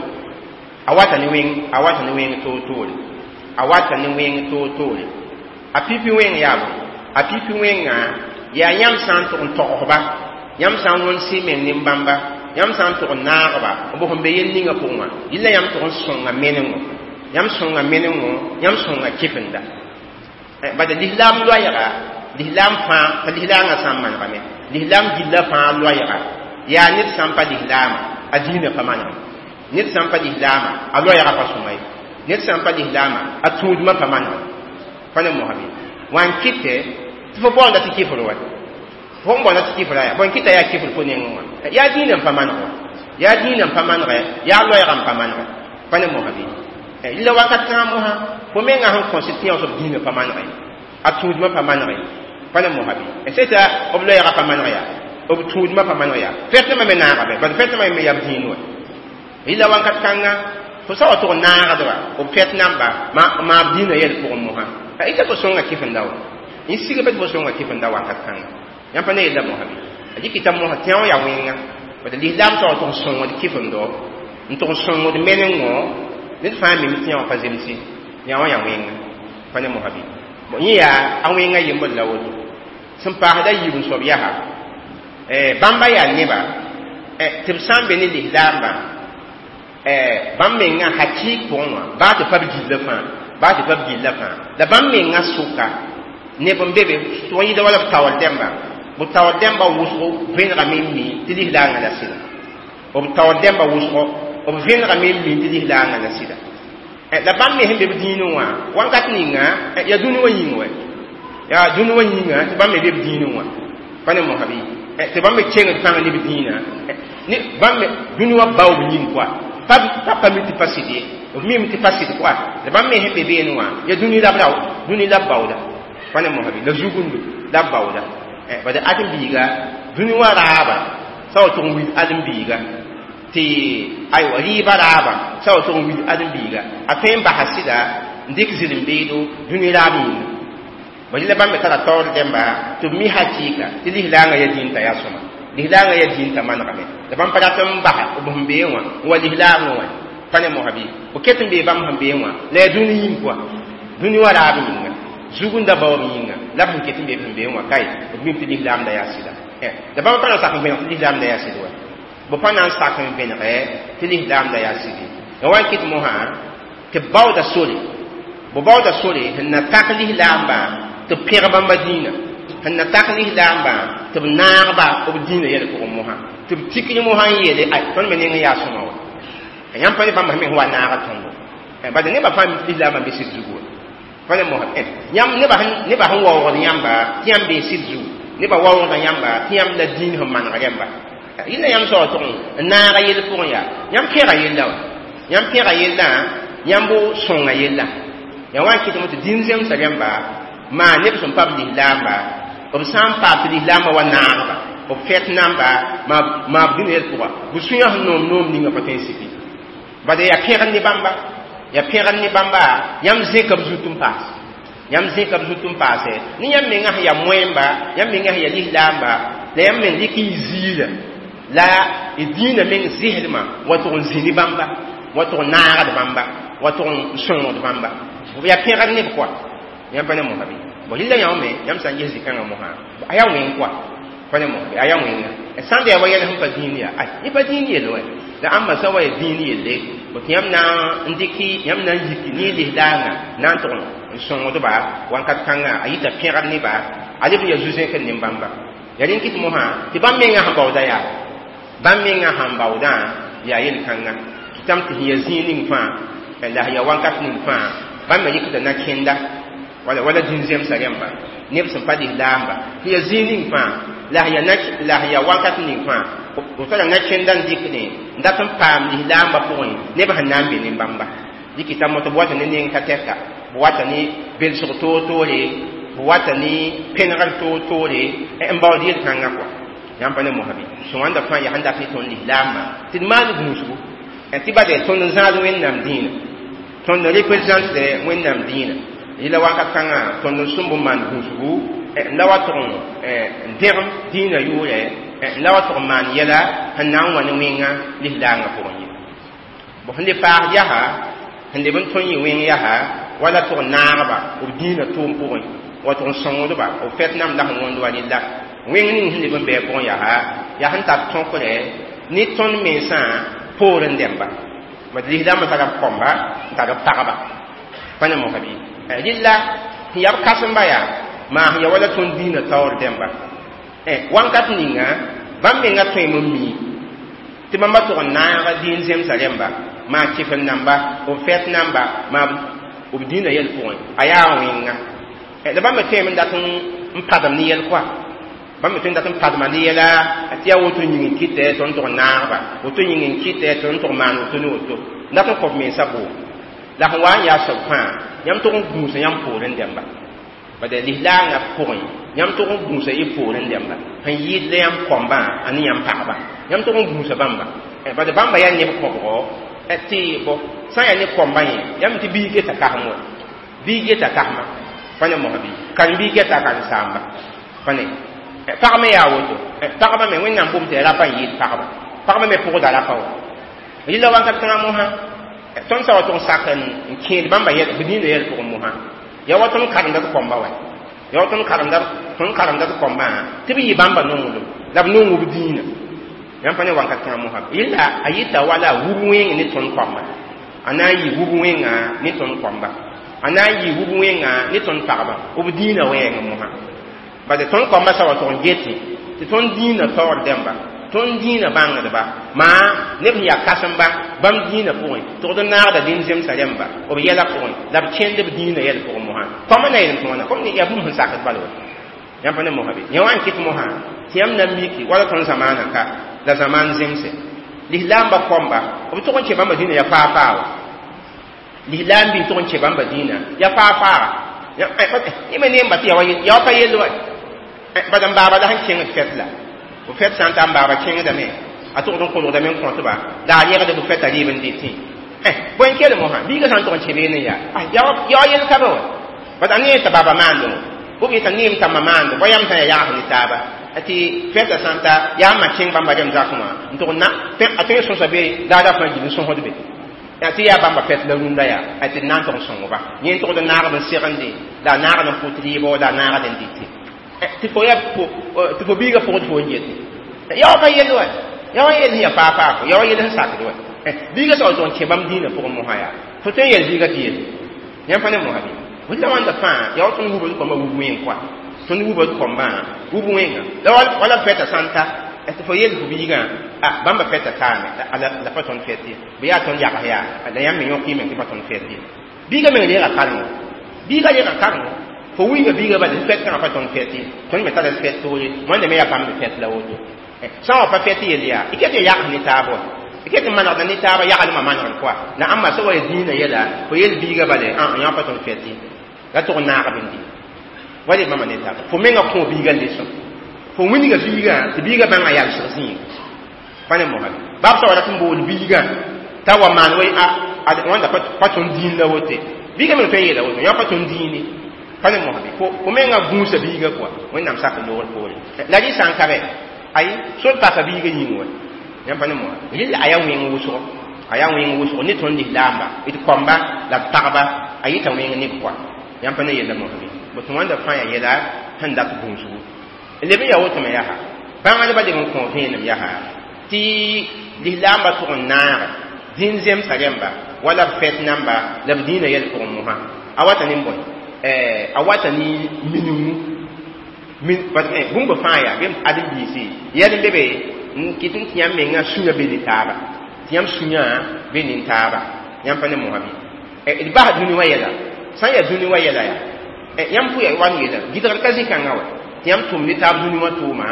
a wata ne wẽng a wata ne wẽng toor-toore a wata ne wẽng toor-toore a pipi wẽng yaa bõe a pipi wẽngã yaa yãmb sã n tʋg n togsba yãmb sã n wõns y meng nin-bãmba yãmb sã n tʋg n naagba b sẽn be yel ninga pʋgẽ wã yella yãmb tʋg n sõnga menengo yãmb sõnga menengo yãmb sõnga kɩfenda bala lislaam loɛɛga lislaam fãa pa lislaangã sã n manegame lislaam gilla fãa loɛɛga yaa ned sã n pa lislaama a dĩinã pa manegme ned sã n pa lislaama a loɛɛga pa sõma ye ned sã n pa lislaama a tũudmã pa manegme pa ne mosã bɩ wa n kɩtɛ tɩ Tɩ fo baoonda tɩ kifr wa fo n baoonda tɩ kifra yaa bõe kɩta yaa kifr fo nengẽ wã yaa dĩinã n pa maneg wa yaa dĩinã n pa manegɛ yaa loɛɛgã n pa manegɛ pa ne mosã bɩ rɩla wakat kãngã mosã fo mengã sẽn kõs tɩ yã soab dĩinã pa manegɛ a tũudmã pa manegɛ pa ne mosã bɩ seta b loɛɛgã pa maneg yaa b tũudmã pa maneg yaa fɛtnãmã me naagame bad fɛtnãmã me yaa b dĩin wa rɩla wakat kãnga fo sa wa tʋg n naagdba b fɛt namba maa b dĩinã yɛl pʋgẽ mosã ita fo sõnga kɩfenda wa n sigb tɩ fo sõnga kɩfenda wakat kãnga yãmb pa ne yella mosã bɩ a dɩkɩta mosã tɩ wã yaa wẽnga bad lislaam sa wa tʋg n sõngd kɩfendo n tʋg n sõngd menengõ ned fãa mim tɩ yã wã pa zemse yã wã yaa wẽnga pa ne mosã bɩ yẽ yaa a wẽnga yembr la woto sẽn paasda yiib n soab yaa bãmba yaa neba tɩ b sã n be ne lislaambã bãmb menga hakɩɩk pʋgẽ wã baa tɩ pa b gilla fãa baa tɩ pa b gilla fãa la bãmb menga sʋka neb n be be tʋg n yɩɩda wala b taoor dẽmba b taoor dẽmba wʋsgo vẽnegame n mi tɩ lislaangã la sɩda b taoor dẽmba wʋsgo b vẽnegame n mi tɩ lislaangã la sɩda la bãmb me sẽn be b dĩinẽ wã wãnkat ninga yaa dũni wã yĩng wɛ yaa dũni wã yĩnga tɩ bãmb me be b dĩinẽ wã pa ne mosã bɩ tɩ bãmb me kengd pãng ne b dĩinã bãmb me dũni wã baoob yĩng koa pa pa mi tɩ pa sɩd ye b mime tɩ pa sɩd koa la bãmb me sẽn be beene wã yaa dũni la b dũni la b baooda pa ne mosã bɩ la zugundo la b baooda bad ãdem-biiga dũni wã raaba sa wa tʋg n wil ãdem-biiga tɩ aywa rɩɩbã raaba sa wa tʋg n wil ãdem-biiga a tõe n basa sɩda n dɩk zɩlem-beedo dũni raab yĩnga bõe la bãmb me tara taoor dẽmba tɩ b mi hakɩɩka tɩ lislaangã yaa dĩn t'a yaa sõma lislaangã yaa dĩn t'a manegame la bãmb pa rat n basa b sẽn beẽ wã n wa lislaangã wã pa ne mosã bɩ b ket n bee bãmb sẽn beẽ wã la yaa dũni yĩng pʋa dũni wã raab yĩnga zugunda baoob yĩnga la b sẽn ket n bee b sẽn beẽ wã kae b mim tɩ lislaamda yaa sɩda la bãmb pa na n sak n vẽneg tɩ lislaamda yaa sɩd wa b pa na n sak n vẽnegɛ tɩ lislaamda yaa sɩd la wa n kɩt mosã tɩ b baooda sore b baooda sore sẽn na tak lislaambã tɩ b pẽg bãmba dĩinã sẽn na tak lislaambã tɩ b naagba b dĩinã yɛl pʋgẽ mosã tɩ b tikr mosã n yeele ay tõnd me neng n yaa sõma wa yãmb pa ne bãmb sẽn me sẽn wa naag tõndo bad nebã fãa mi tɩ lislaambã be sɩd zugu wa pa ne mosã yãmb nebã sẽn waoogd yãmba tɩ yãmb bee sɩd zugu nebã waoogda yãmba tɩ yãmb la dĩin sẽn maneg rẽmba rẽnda yãmb soa tʋg n naaga yell pʋgẽ yaa yãmb pẽga yella wã yãmb pẽga yella yãmb sõnga yella yaa wa n kɩtame tɩ dĩin zemsa rẽmba maa neb sẽn pa b lislaamba b sã n paam tɩ lislaambã wa naagba b fɛt namba maa b dĩnã yɛl pʋga b sũyã sẽn noom noom ninga pa tõe n siki bad yaa pẽgd ne bãmba yaa pẽgd ne bãmba yãmb zẽka b zut n paas yãmb zẽka b zut n paase ne yãmb mengã sẽn yaa moẽmba yãmb mengã sẽn yaa lislaamba la yãmb meng dɩk y ziira la y dĩinã meng zɩsdmã wa tʋg n zĩ ne bãmba wa tʋg n naagd bãmba wa tʋg n sõngd bãmba yaa pẽgd neb koa yãmb pa ne mosã bɩ bõ rɩla yã me yãmb sã n ges zĩ-kãngã mosã a yaa wẽng koa pa ne mosã bɩ a yaa wẽnga sãn da yaa wa yɛl sẽn pa dĩin yaa ay yẽ pa dĩin yell wɛ la ãmba sã wa yaa dĩin yelle tɩ yãmb na n dɩk yãmb na n yiki ne lislaangã na n tʋg n sõngdba wãnkat kãngã a yita pẽgd neba a leb n yaa zu-zẽkr ne bãmba yaa rẽn kɩt mosã tɩ bãmb mengã sẽn baooda yaa bãmb mengã sẽn baoodã yaa yel-kãnga kɩtame tɩ sẽn yaa zĩig ning fãa la sẽn yaa wãnkat ning fãa bãmb me rɩkda na kẽnda wala wala dĩn zemsa rẽmba neb sẽn pa lislaamba tɩ yaa zĩig ning fãa la sẽn yaa wakat ning fãa b tara na kẽnda n dɩkdẽ n dat n paam lislaambã pʋgẽ neb sẽn na n be ne bãmba dɩkɩta moto b wata ne neng ka tɛka b wata ne belsg toor-toore b wata ne pẽnegr toor-toore n baood yel-kãngã kɔa yãmb pa ne mosã bɩ sõwãnda fãa yaa sẽn dat ne tõnd lislaambã tɩ d maan gũusgu tɩ bad tõnd n zãad wẽnnaam dĩinã tõnd n représente wẽnnaam dĩinã yɩla wakat kãngã tõnd n sõmb n maan gũusgu n la wa tʋg n dẽgem dĩinã yʋʋrɛ n la wa tʋg n maan yɛla sẽn na n wa ne wẽnga lislaangã pʋgẽ ye bõ sẽn le paas yaa sẽn leb n tõe yɩ wẽng yaa wala tʋg n naagba b dĩinã tʋʋm pʋgẽ wa tʋg n sõngdba b fɛt nam la sẽn wõnd wa rella wẽng ning sẽn leb n bɩ pʋgẽ yaa yaa sẽn tar tõkrɛ ne tõnd mensã poorẽ dẽmba bad lislaambã tara b kõmba n tar b pagba pa ne mosã bɩ rɩlla sẽn yaa b kãsemba yaa maa sẽn yaa wala tõnd dĩinã taoor dẽmba wãnkat ninga bãmb mengã tõeme n mi tɩ bãmba tʋg n naaga dĩin zemsa rẽmba maa kɩfem namba b fɛt namba maa b dĩinã yɛl pʋgẽ a yaa wẽnga la bãmb me tõeme n dat n n padem ne yɛl koa bãmb me tõe n dat n padma ne yɛla tɩ yaa woto yĩng n kɩtɛ tõnd tʋg n naagba woto yĩng n kɩtɛ tõnd tʋg maan woto ne woto n dat n kõb mensã boom la sẽn wa n yaa soab fãa yãmb tʋg n gũusa yãmb poorẽ dẽmba bad lislaangã pʋgẽ yãmb tʋg n gũusa y poorẽ dẽmba sẽn yɩɩd la yãmb kõmbã a ne yãmb pagba yãmb tʋg n gũusa bãmba bad bãmba yaa neb kõbgo tɩ bõ sã n yaa ne kõmbã yẽ yãmb tɩ biig geta kasem wa biig geta kasma pa ne mosã bɩ karen-biig geta a karen-saamba pa ne pag me yaa woto pagba me wẽnnaam bʋm tɩ rapa n yɩɩd pagba pagba me pʋgda rapa wa rɩla wakat kãngã mosã tõnd sa wa tʋg n sak n kẽed bãmba b dĩinã yɛl pʋgẽ mosã ya wa tõnd karemda d kõmba wa ya wa tõnd karemda d kõmbã tɩ b yɩ bãmba nonglem la b nong b dĩinã yãmb pa ne wakat kãngã mosã yella a yɩta wala wub wẽng ne tõnd kõmba a na n yɩ wub wẽnga ne tõnd kõmba a na n yɩ wub wẽnga ne tõnd pagba b dĩinã wɛɛng mosã bad tõnd kõmba sa wa tʋg n gete tɩ tõnd dĩinã taoor dẽmba tõnd dĩinã bãngdba maa neb sẽn yaa kãsemba bãmb dĩinã pʋgẽ tʋgd n naagda dĩn zemsã rẽmba b yɛla pʋgẽ la b kẽnd b dĩinã yɛl pʋgẽ mosã kõmba na yeelem tɩ wãna kom yaa bũmb sẽn sakd bal wa yãmb pa ne mosã be yã wa n kɩt mosã tɩ yãmb na n miki wala tõnd zamaanã ka la zamaan zemse lislaamba kõmba b tʋg n kẽ bãmba dĩinã yaa faa-faa wa lislaam bɩ tʋg n kẽ bãmba dĩinã yaa faa-faaga yẽ me neemba tɩ yaa wa pa yell wa bad n baaba la sẽn kẽngd fɛt la b fɛt sã n ta n baaba kẽngdame a tʋgd n kolgdame n kõtba la a yẽgd b fɛta rɩɩb n dɩtẽ bõe n kell mosã biiga sã n tʋg n kẽ beene yaa yaa wa yell ka be wa bad a neem t'a baaba maandẽ wã b yeta neem t'a ma maande bõe yãmb sã n yaa yags ne taaba tɩ fɛta sã n ta yaa n ma kẽng bãmba rem zakẽ wã n tʋg na a tõe n sõsa be la a ra fãa gil n sõsd be tɩ yaa bãmba fɛt la rũndã yaa tɩ d na n tʋg n sõngba yẽ n tʋgd n naagd n segende la a naagd n pʋt rɩɩbɔ la a naagd n dɩte tɩ fo biiga pʋgd fo n yete yaa wa pa yell wa yaa wa yell sẽn yaa faa-faa yaa wa yell sẽn sakd wa biiga sa wa tʋg n kẽ bãmb dĩinã pʋgẽ mosã yaa fo tõe n yɛl biiga tɩ yelle yãmb pa ne mosã bɩ wẽnda wãnda fãa yaa wa tõnd wubd kõmbã wub wẽng koa tõnd wubd kõmbã wub wẽnga la wala fɛta sã n ta tɩ fo yell fo biigã bãmba fɛta taame la pa tõnd fɛt ye bɩ yaa tõnd yags yaa la yãmb me yõk yɩ meng tɩ pa tõnd fɛt ye biiga meng reega karengo biiga reega karengo fo wilga biiga bala fɛt kãngã pa tõnd fɛt ye tõnd me tara fɛt toore wãnda me yaa bãmb fɛt la woto sã n wa pa fɛt yell yaa y ket ya yags ne taab wa y ket n manegda ne taaba yaglmã manegd koa la ãmba sã wa ya dĩinã yɛla fo yell biiga bala yã pa tõnd fɛt ye la tʋg n naag b n dĩ wala bãmba ne taaba fo menga kõ biiga leso fo wilga biigã tɩ biiga bãnga yalsg zĩig pa ne mosã bab sã wa rat n bool biigã t'a wa maan wa wãnda pa tõnd dĩin la wote biiga meng tõe n yeela woto yã pa tõnd dĩine pa ne mosã fo menga gũusa biiga koa wẽnnaam sak loogr poore la rɩ sã n ka bɛ ayi sor paka biiga yĩng wa yãmb pa ne mosã rɩla a yaa wẽng wʋsgo a yaa wẽng wʋsgo ne tõnd lislaamba d kõmba la d pagba a yɩta wẽng neb koa yãmb pa ne yella mosã bɩ botɩ wãnda fãa yaa yɛla sẽn dat gũusgu leb n yaa woto me yaa bãngdbã leb n kõ vẽenem yaa tɩ lislaambã tʋg n naag dĩn zemsã rẽmba wala b fɛt namba la b dĩinã yɛl pʋgẽ mosã a wata ne bõe a wata ne miningmu bũmb fãa yaa bɩ ãdem-biisi yɛl n be be n kɩt n tɩ yãmb mengã sũyã be ne taaba tɩ yãmb sũyã be ne taaba yãmb pa ne mosã bɩ d bas dũni wã yɛla sã n yaa dũni wã yɛla yaa yãmb pʋ yaa wa n yeela gɩdgr ka zĩ-kãngã wa tɩ yãmb tʋm ne taab dũni wã tʋʋma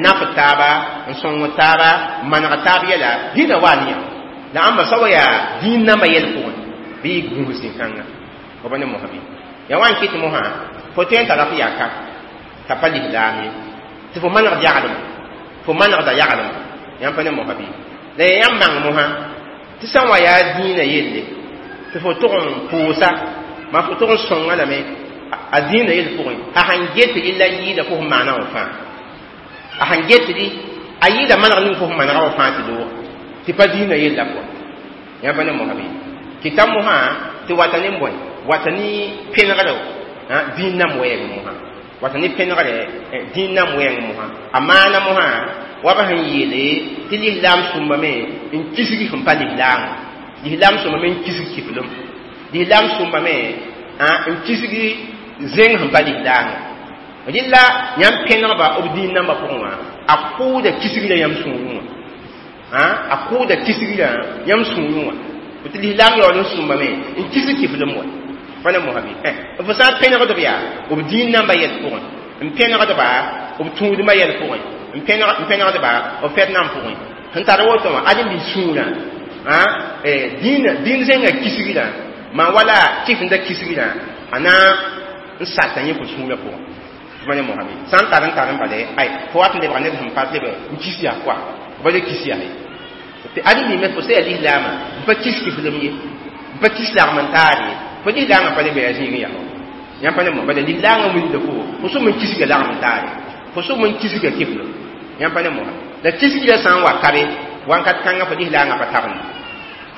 naf taaba n sõng taaba n maneg taab yɛla dĩinã waa ne yãmb la ãmba sa wa yaa dĩin nambã yɛl pʋgẽ bɩ y gũus zĩ-kãngã fo pa ne mosã bɩ yaa wa n kɩt mosã fo tõe n tara f yaka t'a pa lislaam ye tɩ fo manegd yaglem fo manegda yaglem yãmb pa ne mosã bɩ la yaa yãmb bãng mosã tɩ sã n wa yaa dĩinã yelle tɩ fo tʋg n pʋʋsa maa fo tʋg n sõnga lame a dĩinã yel pʋgẽ a sãn get rɩ la yɩɩda fo sẽn maana wã fãa a sãn get rɩ a yɩɩda maneg ning fo sẽn manega wã fãa tɩ loog tɩ pa dĩinã yella pʋga yãmb pa ne mosã bɩ kɩta mosã tɩ wata ne bõe wata ne pẽnegre dĩin nam wɛɛng mosã wata ne pẽnegre dĩin nam wɛɛng mosã a maana mosã wa b sẽn yeele tɩ lislaam sũmbame n kisg sẽn pa lislaamã lislaam sũmbame n kisg kiflem lislaam sũmbame n kisg zẽng sẽn pa lislaamã rɩla yãmb pẽnegba b dĩin nambã pʋgẽ wã a kʋʋda kisgrã yãmb sũurẽ wã a kʋʋda kisgrã yãmb sũurẽ wã tɩ lislaam yaool n sũmbame n kisg kiflem wa pa ne mosã bɩ fo sã n pẽnegd b yaa b dĩin nambã yɛl pʋgẽ N pẽnegdba b tũudmã yɛl pʋgẽ, n pẽnegdba b fɛd-nam pʋgẽ. Sẽn tar woto wã, ad n bi sũurã dĩin zẽngã kisgrã maa wala kɩfenda kisgrã a na n sata yẽ fo sũurã pʋgẽ. Tɩ ne mosame sã n tar n tar n bale, ay fo wat n lebga ned sẽn pa leb n kis yaa koa ba le kis yaa ye. Tɩ ad n mime fo sã yaa lislaamã n pa kis kiflem ye, n pa kis lagm n taar ye, fo lislaamã pa le be yaa zĩig yaa. Yãmb pa ne mo bala lislaangã wilgda fo sʋm n kisga lagm n taare, fo sʋm n kisga kiflem. Yãmb pa ne mo la kisgrã sã n wa kabe wãnkat kãngã fo lislaangã pa tabend.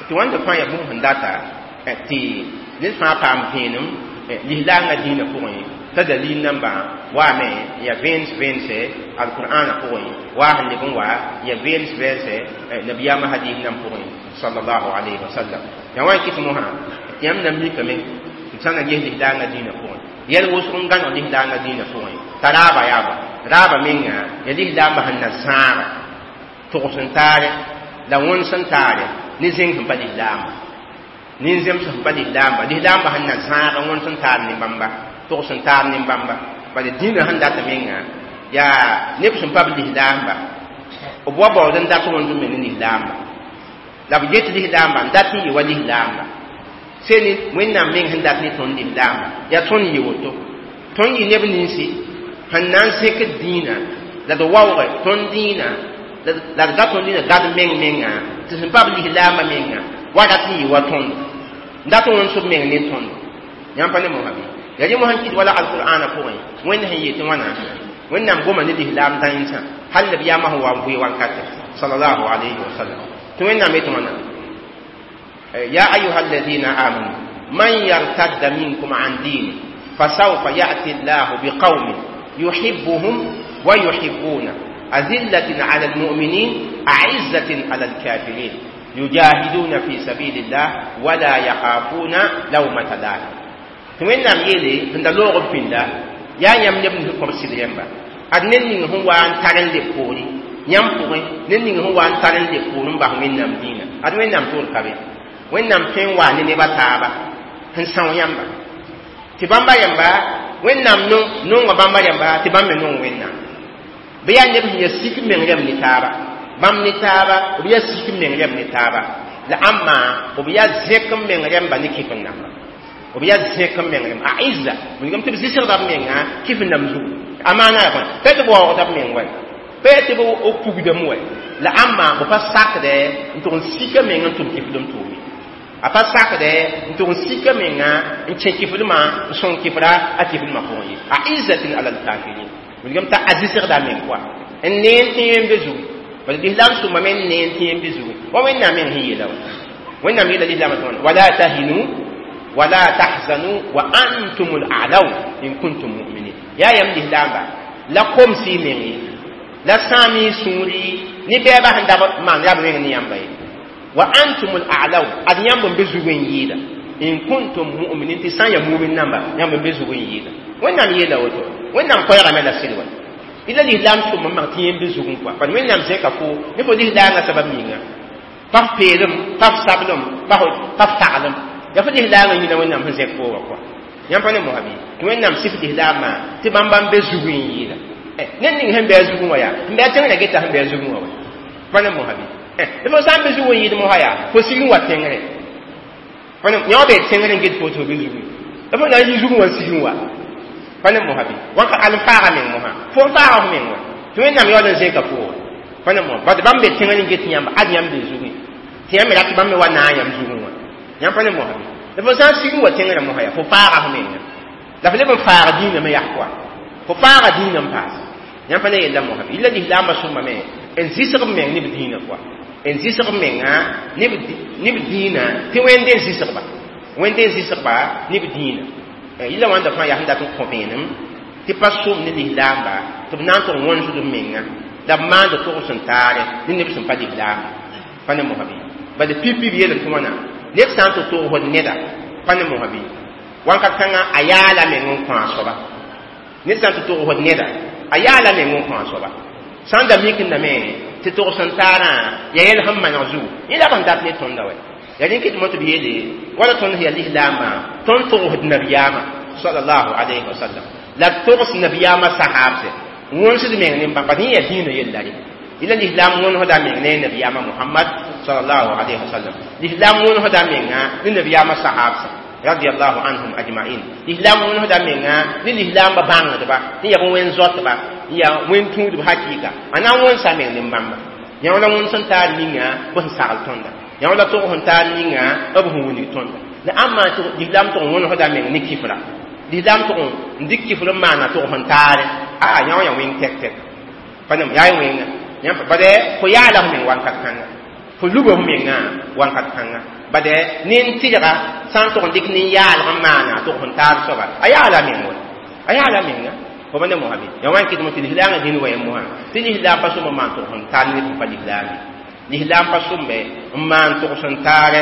Tɩ wãnda fãa yaa bũmb sẽn data tɩ ned fãa paam vẽenem lislaangã dĩinã pʋgẽ, t'a dalil nambã waame ya vẽens vẽense alqur'ana pʋgẽ, waa sẽn leb n wa ya vẽens vẽense nabiyaamã hadis nam pʋgẽ sallallahu alayhi wa sallam. Yaa wã n kɩt mosã tɩ yãmb na mikame tɩ b sã na ges lislaangã dĩinã pʋgẽ yɛl wʋsg n gãneg lislaangã dĩinã pʋgẽ t'a raaba yaa bã raaba menga ya lislaambã sẽn na zãaga togs n taare la wõns n taare ne zẽng sẽn pa lislaamba, nin-zems sẽn pa lislaamba, lislaambã sẽn na zãaga wõns n taar ne bãmba, togs n taar ne bãmba. Bala dĩinã sẽn data menga yaa neb sẽn pa b lislaamba, b wa baood n dat wõns n me ne lislaamba, la b get lislaamba n dat n yɩ wa lislaamba seni Wẽnnaam meng sẽn dat ne tõnd lislaamba yaa tõnd yɩ woto, tõnd yɩ neb ninsi sẽn na n zẽkd dĩinã la d waooge tõnd dĩinã la d ga tõnd dĩinã gad meng menga tɩ sẽn pa b lislaambã menga wa rat n yɩ wa tõnd n dat wõns b meng ne tõnd. Yãmb pa ne mosã bɩ yaa rẽ mosã n kɩt wala alqur'ana pʋgẽ Wẽnd sẽn yetɩ wãna Wẽnnaam goma ne lislaam dãensã hal la b yaamã sẽn wa n vʋɩ wankate sallallahu alayhi wa sallam. Tɩ Wẽnnaam yetɩ wãna: يا أيها الذين آمنوا من يرتد منكم عن دينه فسوف يأتي الله بقوم يحبهم ويحبونه أذلة على المؤمنين أعزة على الكافرين يجاهدون في سبيل الله ولا يخافون لومة لائم. Wẽnnaam yeele sẽn da loog b pĩnda yaa yãmb neb nins kõb sɩd yẽmba ad ned ning sẽn wa n tar n leb poore yãmb pʋgẽ, ned ning sẽn wa n tar n leb poore n bas Wẽnnaam dĩinã, ad Wẽnnaam toor ka be. Wẽnnaam tõe n waa ne neb a taaba sẽn são yãmba tɩ bãmba rẽmba Wẽnnaam nonga bãmba rẽmba tɩ bãmb me nong Wẽnnaam. Bɩ yaa neb sẽn yaa sik meng rẽmb ne taaba, bãmb ne taaba b yaa sik meng rẽmb ne taaba, la ãmba b yaa zẽk n meng rẽmba ne kɩf n namba, b yaa zẽk n meng rẽmba a izza wilgame tɩ b zɩsgda b menga kɩf n nam zugu a maana yaa bõe pa tɩ b waoogda b meng wa pa tɩ b pugdame wa la ãmba b pa sakdɛ n tʋg n sika meng n tʋm kɩfdem tʋʋme, a pa sakdɛ n tʋg n sika menga n kẽ kɩfdmã n sõng kɩfra a kɩfdmã pʋgẽ ye a izzatin ala lkafirin wilgame t'a a zɩsgda a meng koa n neen tɩ yẽ be zugu. Bala lislaam sũma me n neen tɩ yẽ be zugu wa Wẽnnaam meng sẽn yeela wa Wẽnnaam yeela lislaamã tɩ wãna wala tahinu wala tahzanu wa antum al-a'law in kuntum mu'minin. Yaa yãmb lislaamba la komsɩ y meng ye la sãam y sũuri ne bɛɛbã sẽn da maan rab meng ne yãmba ye wa antum al-a'law ad yãmb n be zug n yɩɩda in kuntum mu'minin tɩ sã n yaa mumin namba yãmb n be zug n yɩɩda. Wẽnnaam yeela woto Wẽnnaam koɛɛgame la sɩd wa ila lislaam sũm n mak tɩ yẽ be zug n kɔa bad Wẽnnaam zẽka fo ne fo lislaangã sabab ninga pa f peelem pa f sablem pa f taglem yaa fo lislaangã yĩna Wẽnnaam sẽn zẽk fo wa kɔa. Yãmb pa ne mosã bɩ tɩ Wẽnnaam sɩf lislaamã tɩ bãmba n be zug n yɩɩda ned ning sẽn bɩ a zugẽ wã yaa sẽn bɩ a tẽngrã geta sẽn bɩ a zugẽ wã wa pa ne mosã bɩ tɩ fo sã n be zug n yɩɩd mosã yaa fo sig n wa tẽngre yã wa bee tẽngre n get fo tɩ fo be zugẽ la fo na n yɩ zugẽ wã n sig n wa pa ne mosã bɩ wãnka al n faaga meng mosã fo n faaga f meng wa tɩ Wẽnnaam yaool n zẽka fo wa pa ne mosã bad bãmb be tẽngr n get yãmba ad yãmb be zugẽ tɩ yãmb me rat bãmb me wa naag yãmb zugẽ wã yãmb pa ne mosã bɩ la fo sã n sig n wa tẽngrã mosã yaa fo faaga f menga la fo leb n faaga dĩinã me yaa koa fo faaga dĩinã n paas yãmb pa ne yella mosã bɩ illa lislaambã sõma me n zɩsg b meng ne b dĩinã koa n zɩsg b menga ne b dĩinã tɩ Wẽnde n zɩsgba Wẽnde n zɩsgba ne b dĩinã yilla wãnda fãa yaa sẽn dat n kõ vẽenem tɩ pa sʋm ne lislaamba tɩ b na n tʋg wõnsd b menga la b maand togs n taare ne neb sẽn pa lislaamba pa ne mosã bɩ bala pipi b yeelame tɩ wãna ned sã n tɩ togsd neda pa ne mosã bɩ wãnkat kãngã a yaala meng n kõ a soaba ned sã n tɩ togsd neda a yaala meng n kõ a soaba sã n da mikndame tɩ togs n taarã yaa yɛl sẽn maneg zugu yẽ la b sẽn dat ne tõnda wa yaa rẽn kɩ tɩ mo tɩ b yeele wala tõnd sẽn yaa lislaambã tõnd togsd nabiyaamã sallallahu alayhi wa sallam. La togs nabiyaamã sahaabse wõnsd meng ne bãmb bat yẽ yaa dĩinã yella re ila l'islam wõnesda meng ne nabiyaamã Muhammad sallallahu alaihi wasallam l'islam wõnesda menga ne nabiyaamã sahaabsã radiyallahu anhum ajma'in l'islam wõnesda menga ne l'islam ba bãngdba ne yaa wẽn-zoatba yaa wẽn-tũudb hakɩɩka a na n wõnsa meng ne bãmba yã la wõns n taar ninga b sẽn sagl tõnda yã la tʋg sẽn taar ninga b sẽn wilg tõnda la ãmba l'islam tʋg n wõnesda meng ne kifra l'islam tʋg n dɩk kifr n maana tʋg sẽn taare a yã wã yaa wẽng tɛk tɛk pa nem yaa wẽnga yã bade fo yaala f meng wakat kãnga fo luba f mengã wakat kãnga bade nin-tɩlga sã n tʋg n dɩk nin-yaalg n maana tʋg sẽn taar soaba a yaala meng wa a yaala menga fo ba ne mosã bɩ ya wa n kɩtme tɩ lislaangã dĩn wa yẽ mosã tɩ lislaam pa sõm n maan tʋg sẽn taar neb sẽn pa lislaam lislaam pa sõmbe n maan tʋg sẽn taarɛ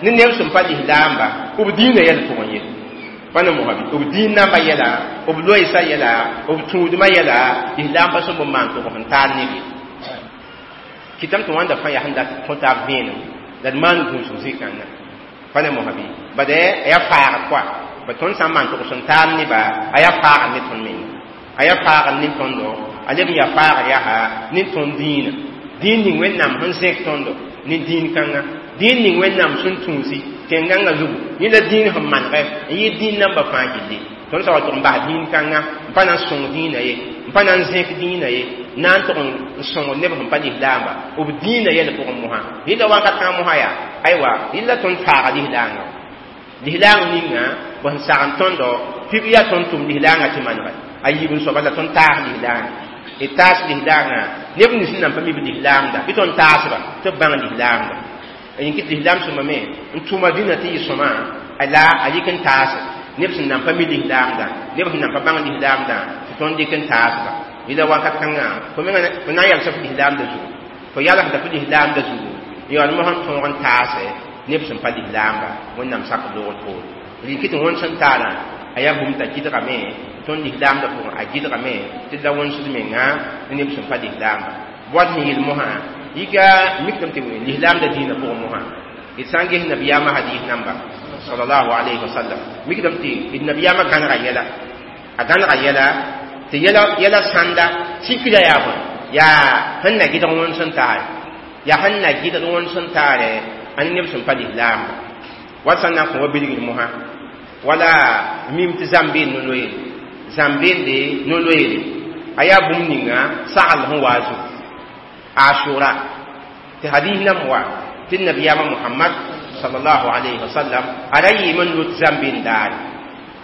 ne neb sẽn pa lislaamba b dĩinã yɛl pʋgẽ ye pa ne mosã bɩ b dĩin namba yɛla b loeesã yɛla b tũudmã yɛla lislaam pa sõmb n maan tʋg sẽn taar neb ye kɩtame tɩ wãnda fãa yaa sẽn dat kõ taab vẽenem la d maan gũusg zĩ-kãngã pa ne mosã bɩ bad a yaa faagd koa ba tõnd sã n maan tʋg sẽn taar neba a yaa faagd ne tõnd menga a yaa faagd ne tõndo a leb n yaa faagd yaa ne tõnd dĩinã dĩin ning Wẽnnaam sẽn zẽk tõndo ne dĩin kãnga dĩin ning Wẽnnaam sẽn tũusi tẽn-gãngã zugu yẽ la dĩin sẽn manegɛ n yɩ dĩin nambã fãa gilli tõnd sã wa tʋg n bas dĩin kãnga n pa na n sõng dĩinã ye n pa na n zẽk dĩinã ye na n tʋg n sõng neb sẽn pa lislaamba b dĩinã yɛl pʋgẽ mosã rɩla wakat kãng mosã yaa aywa rɩla tõnd faaga lislaangã lislaang ninga b sẽn sagn tõndo pib yaa tõnd tʋm lislaangã tɩ manegɛ a yiib n soaba la tõnd taas lislaangã d taas lislaangã neb nins sẽn nan pa mi b lislaamda bɩ tõnd taasba tɩ b bãng lislaamda yĩn kɩ lislaam sõma me n tʋma dĩnã tɩ yɩ sõma la a yik n taase neb sẽn nan pa mi lislaamda neb sẽn nan pa bãng lislaamda tɩ tõnd dɩk n taasba yɩla wakat kãngã fo menga fo na n yalsa f lislaamda zugu fo yalsda f lislaamda zugu n yaool mosã n tõog n taase neb sẽn pa lislaamba Wẽnnaam sak loogr poore rɩ kɩ tɩ wõns n taarã a yaa bũmb t'a gɩdgame tõnd lislaamda pʋgẽ a gɩdgame tɩ la wõnsd menga ne neb sẽn pa lislaamba boad sẽn yeel mosã yika mikame tɩ lislaamda dĩinã pʋgẽ mosã d sã n ges nabiyaamã hadis namba sallallahu alayhi wa sallam mikdame tɩ d nabiyaamã gãnega yɛla a gãnega yɛla tɩ yɛla sãnda sikra yaa bõe yaa sẽn na gɩdg wõns n taare yaa sẽn na gɩdg wõns n taare a ne neb sẽn pa lislaamba wat sã n na n kõ wa bilgr mosã wala mim tɩ zãmbeen no-loeere zãmbeende no-loeere a yaa bũmb ninga sagl sẽn waa zugu ashura tɩ hadis nam wa tɩ nabiyaamã Muhammad sallallahu alayhi wa sallam a ra yɩɩm n lot zãmbeen daare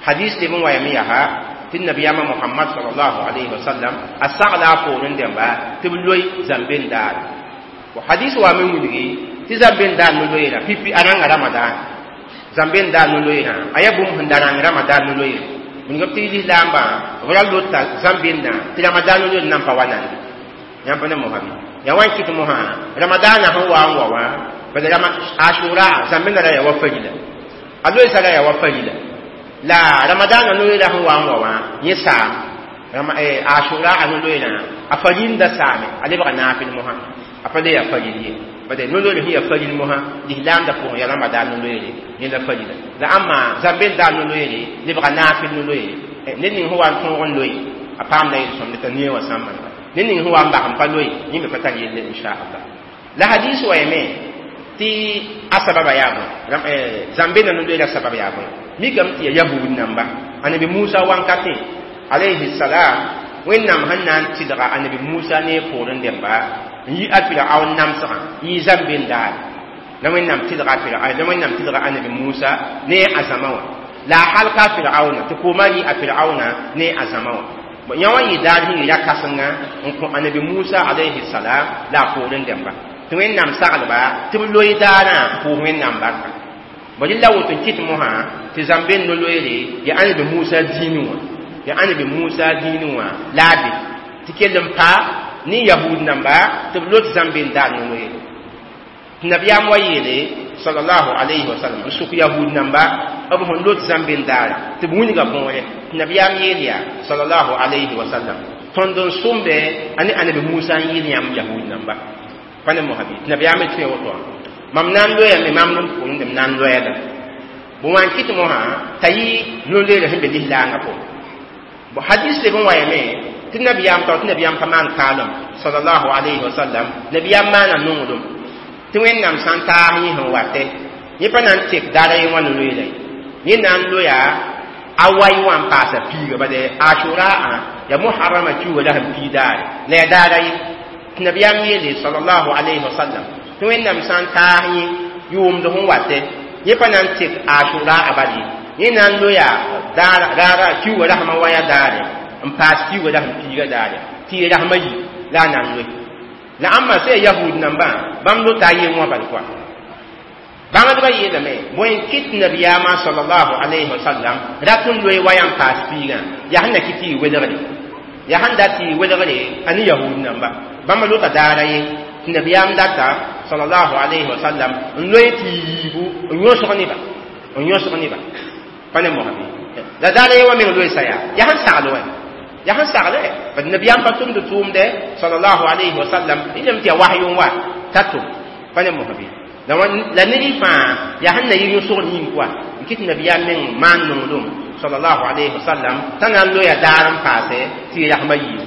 hadis leb n wa yame yaa tɩ nabiyaamã Muhammad sallallahu alayhi wa sallam a sagla a poorẽ dẽmba tɩ b loe zãmbeen daare hadis wa me wilgi tɩ zãmbeen daar no-loeerã pipi a rãnga ramadan zãmbeen daar no-loeerã a yaa bũmb sẽn da rãng ramadan no-loeere wilgame tɩ lislaambã b ra lota zãmbeendã tɩ ramadan no-loeer nan pa wa nande yãmb pa ne mosã bɩ ya wan kɩt mosã ramadana sẽn wa n wa wã bad ashura zãmbẽndã ra yaa wa farila a loeesã ra yaa wa farila la ramadana no-loeerã sẽn wa n wa wã yẽ saam ashura a no-loeerã a farinda saame a lebga naafɩl mosã a pa le yaa faril ye bad no-loeer sẽn yaa faril mosã lislaamda pʋgẽ yaa ramadan no-loeere yẽ la farila la ãmma zãmbeen daar no-loeere lebga naafɩl no-loeere ned ning sẽn wa n tõog n loe a paamda yel-sõmd t'a neẽ wã sã n manega ned ning sẽn wa n bas n pa loe yẽ me pa tar yelle inchallah la hadis wa yame tɩ a sababa yaa bõe zãmbeenã no-loeerã sabab yaa bõe mikame tɩ yaa yahud namba anabi Musa wankatẽ alayhi salam Wẽnnaam sẽn na n tɩlga anabi Musa ne poorẽ dẽmba n yi a Firaun namsgã n yi zãmbeen daare la Wẽnnaam tɩlga la Wẽnnaam tɩlga anabi Musa ne a zãma wã la a halka a Firauna tɩ koomã rɩ a Firauna ne a zãma wã yã wã yɩ daar sẽn yɩ ra-kãsenga n kõ anabi Musa alayhi salam la a poorẽ dẽmba tɩ Wẽnnaam saglba tɩ b loe daarã n pʋʋs Wẽnnaam barka bõ rɩ la woto n kɩt mosã tɩ zãmbeen no-loeere yaa anabi Musa dĩinẽ wã yaa anabi Musa dĩinẽ wã la a be tɩ kell n pa ne yahud namba tɩ b lot zãmbeen daar no-loeere tɩ nabiyaam wa yeele sallallahu alayhi wa sallam n sʋk yahud namba b sẽn lot zãmbeen daara tɩ b wilga võore tɩ nabiyaam yeel yaa sallallahu alayhi wa sallam tõnd n sõmbe a ne anabi Musa n yeel yãmb yahud namba pa ne mosã bɩ tɩ nabiyaam tõe woto wã mam na n loyame mam n pʋʋrẽ m na n loɛɛdame bõ wã n kɩt mosã t'a yɩ no-loeerã sẽn be lislaangã pʋgẽ Bo hadis le bon wayame tɩ nabiyaam tao tɩ nabiyaam pa maan kaalem sallallahu alayhi wa sallam nabiyaam maana nonglem tɩ wẽnnaam sã n taas yẽ sẽn watɛ yẽ pa na n tek daara ye wã no-loeela ye yẽ na n loya a wai wã n paasa piiga bade ashura a ya muharrama kiuga la sẽn pii daare la ya daara ye tɩ nabiyaam yeele sallallahu alayhi wa sallam tɩ wẽnnaam sã n taas yẽ yʋʋmd sẽn watɛ yẽ pa na n tek ashura a bal ye yẽ na n loya raara kiuga rasmã waya daare n paas kiuga la sẽn piiga daare tɩ y rasmã yi la a na n loe la ãmba sã yahud nambã bãmb lota a yen wã bal koa bãngdbã yeelame bõe n kɩt nabiyaamã sallallahu alayhi wa sallam rat n loe waya n paas piigã yaa sẽn na kɩ tɩ y welgre yaa sẽn dat tɩ y welgre a ne yahud namba bãmba lota daara ye tɩ nabiyaam data sallallahu alayhi wa sallam n loe tɩ y yiibu n yõsg neba n yõsg neba pa ne mosã la daara ye wã meng loeesa yaa yaa sẽn sagl wã yaa sẽn sagle bad nabiyaam pa tʋmd tʋʋmdɛ sallallahu alayhi wa sallam y lem tɩ yaa wahyu n wa t'a tʋm pa ne mosã la ned fãa yaa sẽn na yɩ yõsgr yĩng koa n kɩt nabiyaam meng maan nonglem sallallahu alayhi wa sallam t'a na n loya daar n paase tɩ y rasmã yiibu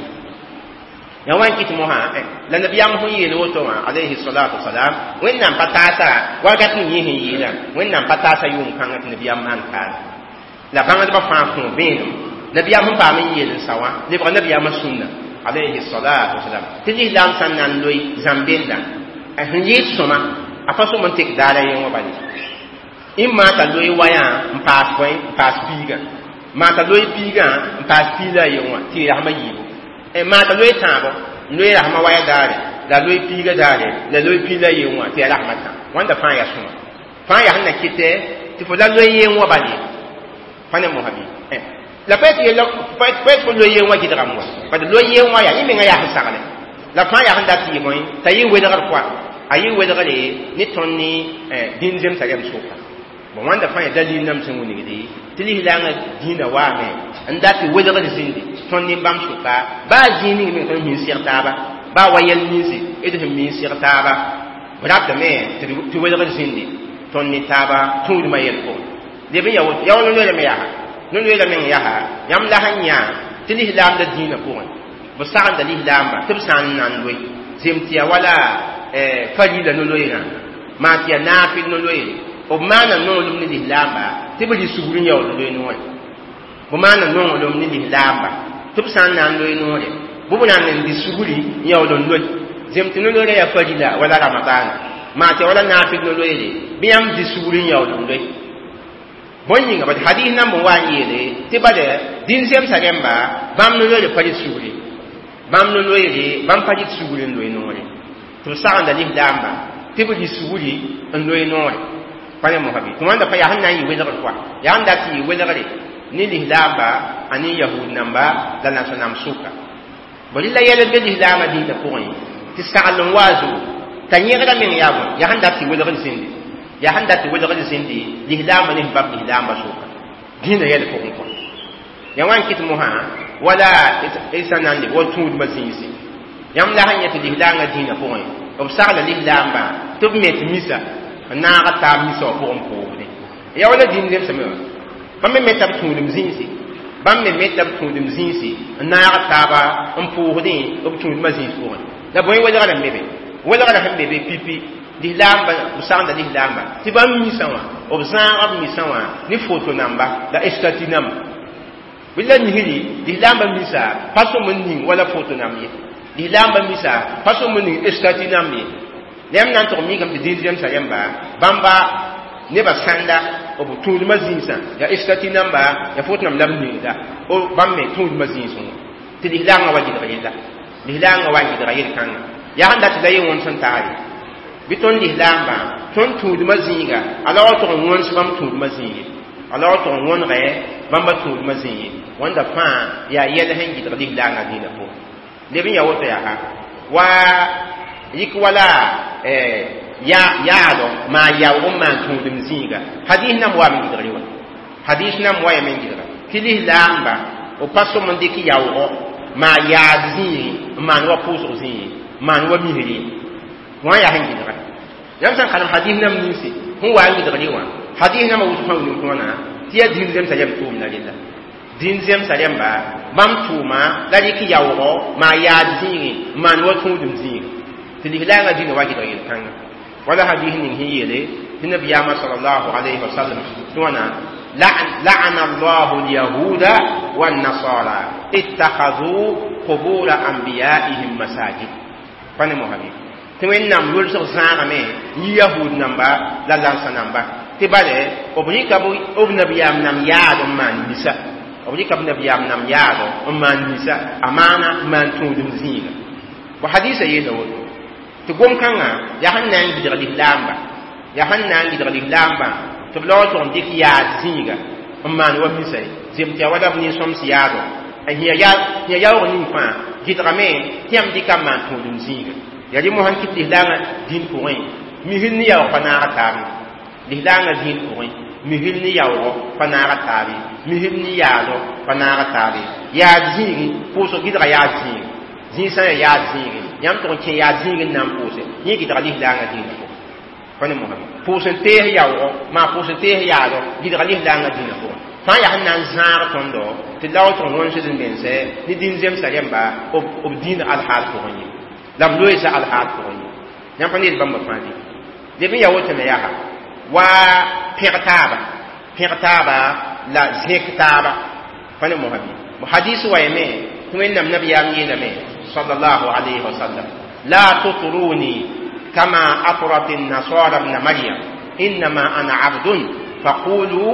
ya wã n kɩt mosã la nabiyaam sẽn yeel woto wã alayhi salatu wasalam wẽnnaam pa taasa wakat ning yẽ sẽn yeelã wẽnnaam pa taasa yʋʋm kãngã tɩ nabiyaam maan kaala la bãngdbã fãa kõ vẽenem nabiyaam sẽn paam n yeel n sa wã lebga nabiyaamã sũnna alayhi salatu wasalam tɩ lislaam sã n na n loe zãm-benda sẽn yɩɩd sõma a pa sõm n tek daara yẽ wã bale ɩ maa t'a loe wayã n paas bõe n paas piigã maa t'a loe piigã n paas piila a yen wã tɩ y rasmã yiibu maa t'a loe tãabo n loe rasmã waya daare la loe piiga daare la loe piila a yen wã tɩ ya rasmã tã wãnda fãa yaa sõma fãa yaa sẽn na kɩtɛ tɩ fo la loe yen wã bale pa ne mosã bɩ la pa tɩ fo loe yen wã gɩdgame wa bad loe yen wã yaa yẽ menga yaa sẽn sagle la fãa yaa sẽn dat tɩ yɩ bõe t'a yɩ welgr koa a yɩ welgre ne tõnd ne dĩn zemsa rɛm sʋka bon wãnda fãa yaa dalil nam sẽn wilgde tɩ lislaangã dĩinã waame n dat tɩ welgr zĩndi tõnd ne bãmb sʋka baa zĩig ning meng tõnd min seg taaba baa wa yɛl ninsi d sẽn min seg taaba b ratame tɩ welgr zĩndi tõnd ne taaba tũudmã yɛl pʋgẽ leb n ya woto ya wa no-loeerame yaa no-loeera meng yaa yãmb la sẽn yã tɩ lislaamda dĩinã pʋgẽ b sagenda lislaamba tɩ b sã n na n loe zem tɩ ya wala farila no-loeerã maa tɩ ya naafɩl no-loeere b maana nonglem ne lislaamba tɩ b rɩ sugr n yaool loe noore b maana nonglem ne lislaamba tɩ b sã n na n loe noore bɩ b na n dɩ sugri n yaool n loe zem tɩ no-loeerã yaa farila wala ramadaana maa tɩ ya wala naafɩl no-loeere bɩ yãmb dɩ sugr n yaool n loe bõe yĩnga bad hadis namb n wa n yeele tɩ bad dĩn zemsa rẽmba bãmb no-loeere pa rɩt sugri bãmb no-loeere bãmb pa rɩt sugri n loe noore tɩ b sagenda lislaamba tɩ b rɩ sugri n loe noore pa ne mosã bɩ tɩ wãnda pa yaa sẽn na n yɩ welgr koa yaa sẽn dat tɩ yɩ welgre ne lislaamba a ne yahud namba la nasã-namb sʋka bõ rɩ la yɛl n be lislaamã dĩntã pʋgẽ tɩ sagl n wa a zugu t'a yẽgda meng yaa bõe yaa sẽn dat tɩ welgr zĩndi yaa sẽn dat tɩ welgr zĩndi lislaambã ne sẽn bab lislaambã sʋka dĩinã yɛl pʋgẽ kɔa ya wã n kɩt mosã wala d sã na n leb wa tũudmã zĩisi yãmb la sẽn yẽ tɩ lislaangã dĩinã pʋgẽ b sagla lislaambã tɩ b met misa n naag taab misa wã pʋgẽ pʋʋsdẽ ya wala dĩin zemsame wã bãmb me meta b tũudem zĩisi bãmb me meta b tũudem zĩisi n naag taaba n pʋʋsdẽ b tũudmã zĩis pʋgẽ la bõe welgrã n be be welgrã sẽn be be pipi lislaamba b sagenda lislaamba tɩ bãmb misã wã b zãaga b misã wã ne foto namba la estati namba bɩ la misri lislaamba misa pa sõm n ning wala foto namb ye lislaamba misa pa sõm n ning estati namb ye yãmb na n tʋg mikame tɩ dĩn zemsa rẽmba bãmba nebã sãnda b tũudmã zĩisã yaa estati namba ya foto namb la b ningda bãmb me tũudmã zĩisẽ wã tɩ lislaangã wa gɩdg yella lislaangã wa n gɩdga yel-kãnga yaa sẽn dat tɩ la ye wõns n taag ye bɩ tõnd lislaambã tõnd tũudmã zĩiga a la wa tʋg n wõns bãmb tũudmã zĩig a la wa tʋg n wõnegɛ bãmba tũudmã zĩig wãnda fãa yaa yɛl sẽn gɩdg lislaangã dĩinã pʋgẽ leb n ya woto yaa wa yik wala yaado maa yaoog n maan tũudem zĩiga hadis nam waame gɩdgre wa hadis nam wa yame n gɩdga tɩ lislaamba b pa sõm n dɩk yaoogo maa yaad zĩigi n maan wa pʋʋsg zĩigi n maan wa misri wã yaa sẽn gɩdga yãmb sẽn kalem hadis nam ninsi sẽn wa n gɩdgre wã hadis namã wʋsg fãa wilg tõona tɩ yaa dĩn zemsa rɛm tʋʋmda rella dĩn zemsa rẽmba Bãmb tʋʋma la rɩk yaoogɔ maa yaad zĩigẽ n maan wa tũudem zĩiga tɩ lislaangã dĩnã wa gɩdg yel-kãnga wala hadis ning sẽn yeele tɩ nabiyaamã sallallahu alayhi wa sallam tɩ wãna لعن الله اليهود والنصارى اتخذوا قبور أنبيائهم مساجد فانا مهبي tɩ wẽnnaam yʋlsg zãagame yi yahud namba la lansa namba tɩ bale b rɩka b nabiyaam nam yaad n maan misa b rɩka b nabiyaam nam yaad n maan misa a maana n maan tũudem zĩiga bo hadisa yeela woto tɩ gom-kãngã yaa sẽn na n gɩdg lislaamba yaa sẽn na n gɩdg lislaambã tɩ b laoog tʋg n dɩk yaad zĩiga n maan wa misa ye zem tɩ yaa wala b nin-sõms yaado n yã yaoog ning fãa gɩdgame tɩ yãmb dɩka n maan tũudem zĩiga yaa rẽ mosã n kɩt lislaangã dĩn pʋgẽ misl ne yaoog pa naaga taabe lislaangã dĩn pʋgẽ misl ne yaoogɔ pa naaga taabe misl ne yaado pa naaga taabe yaad zĩigi pʋʋsg gɩdga yaad zĩigi zĩig sã n yaa yaad zĩigi yãmb tʋg n kẽ yaad zĩig n na n pʋʋse yẽ gɩdga lislaangã dĩinã pʋgẽ pa ne mosã pʋʋs n tees yaoogɔ maa pʋʋs n tees yaado gɩdga lislaangã dĩinã pʋgẽ fãa yaa sẽn na n zãag tõndo tɩ lao tʋg wõnsd n mense ne dĩn zemsã rẽmba b dĩin alhaal pʋgẽ ye la b loeesa alhaal pʋgẽ ye yãmb pa ned bãmba fãa dĩ leb n yaa woto me yaa wa pẽg taaba la zẽk taaba pa ne mosã bɩ hadis wa yame tɩ wẽnnaam nabiyaam yeelame sallallahu alayhi wa sallam la tutruni kama atrat النصارى ابن مريم إنما أنا عبد فقولوا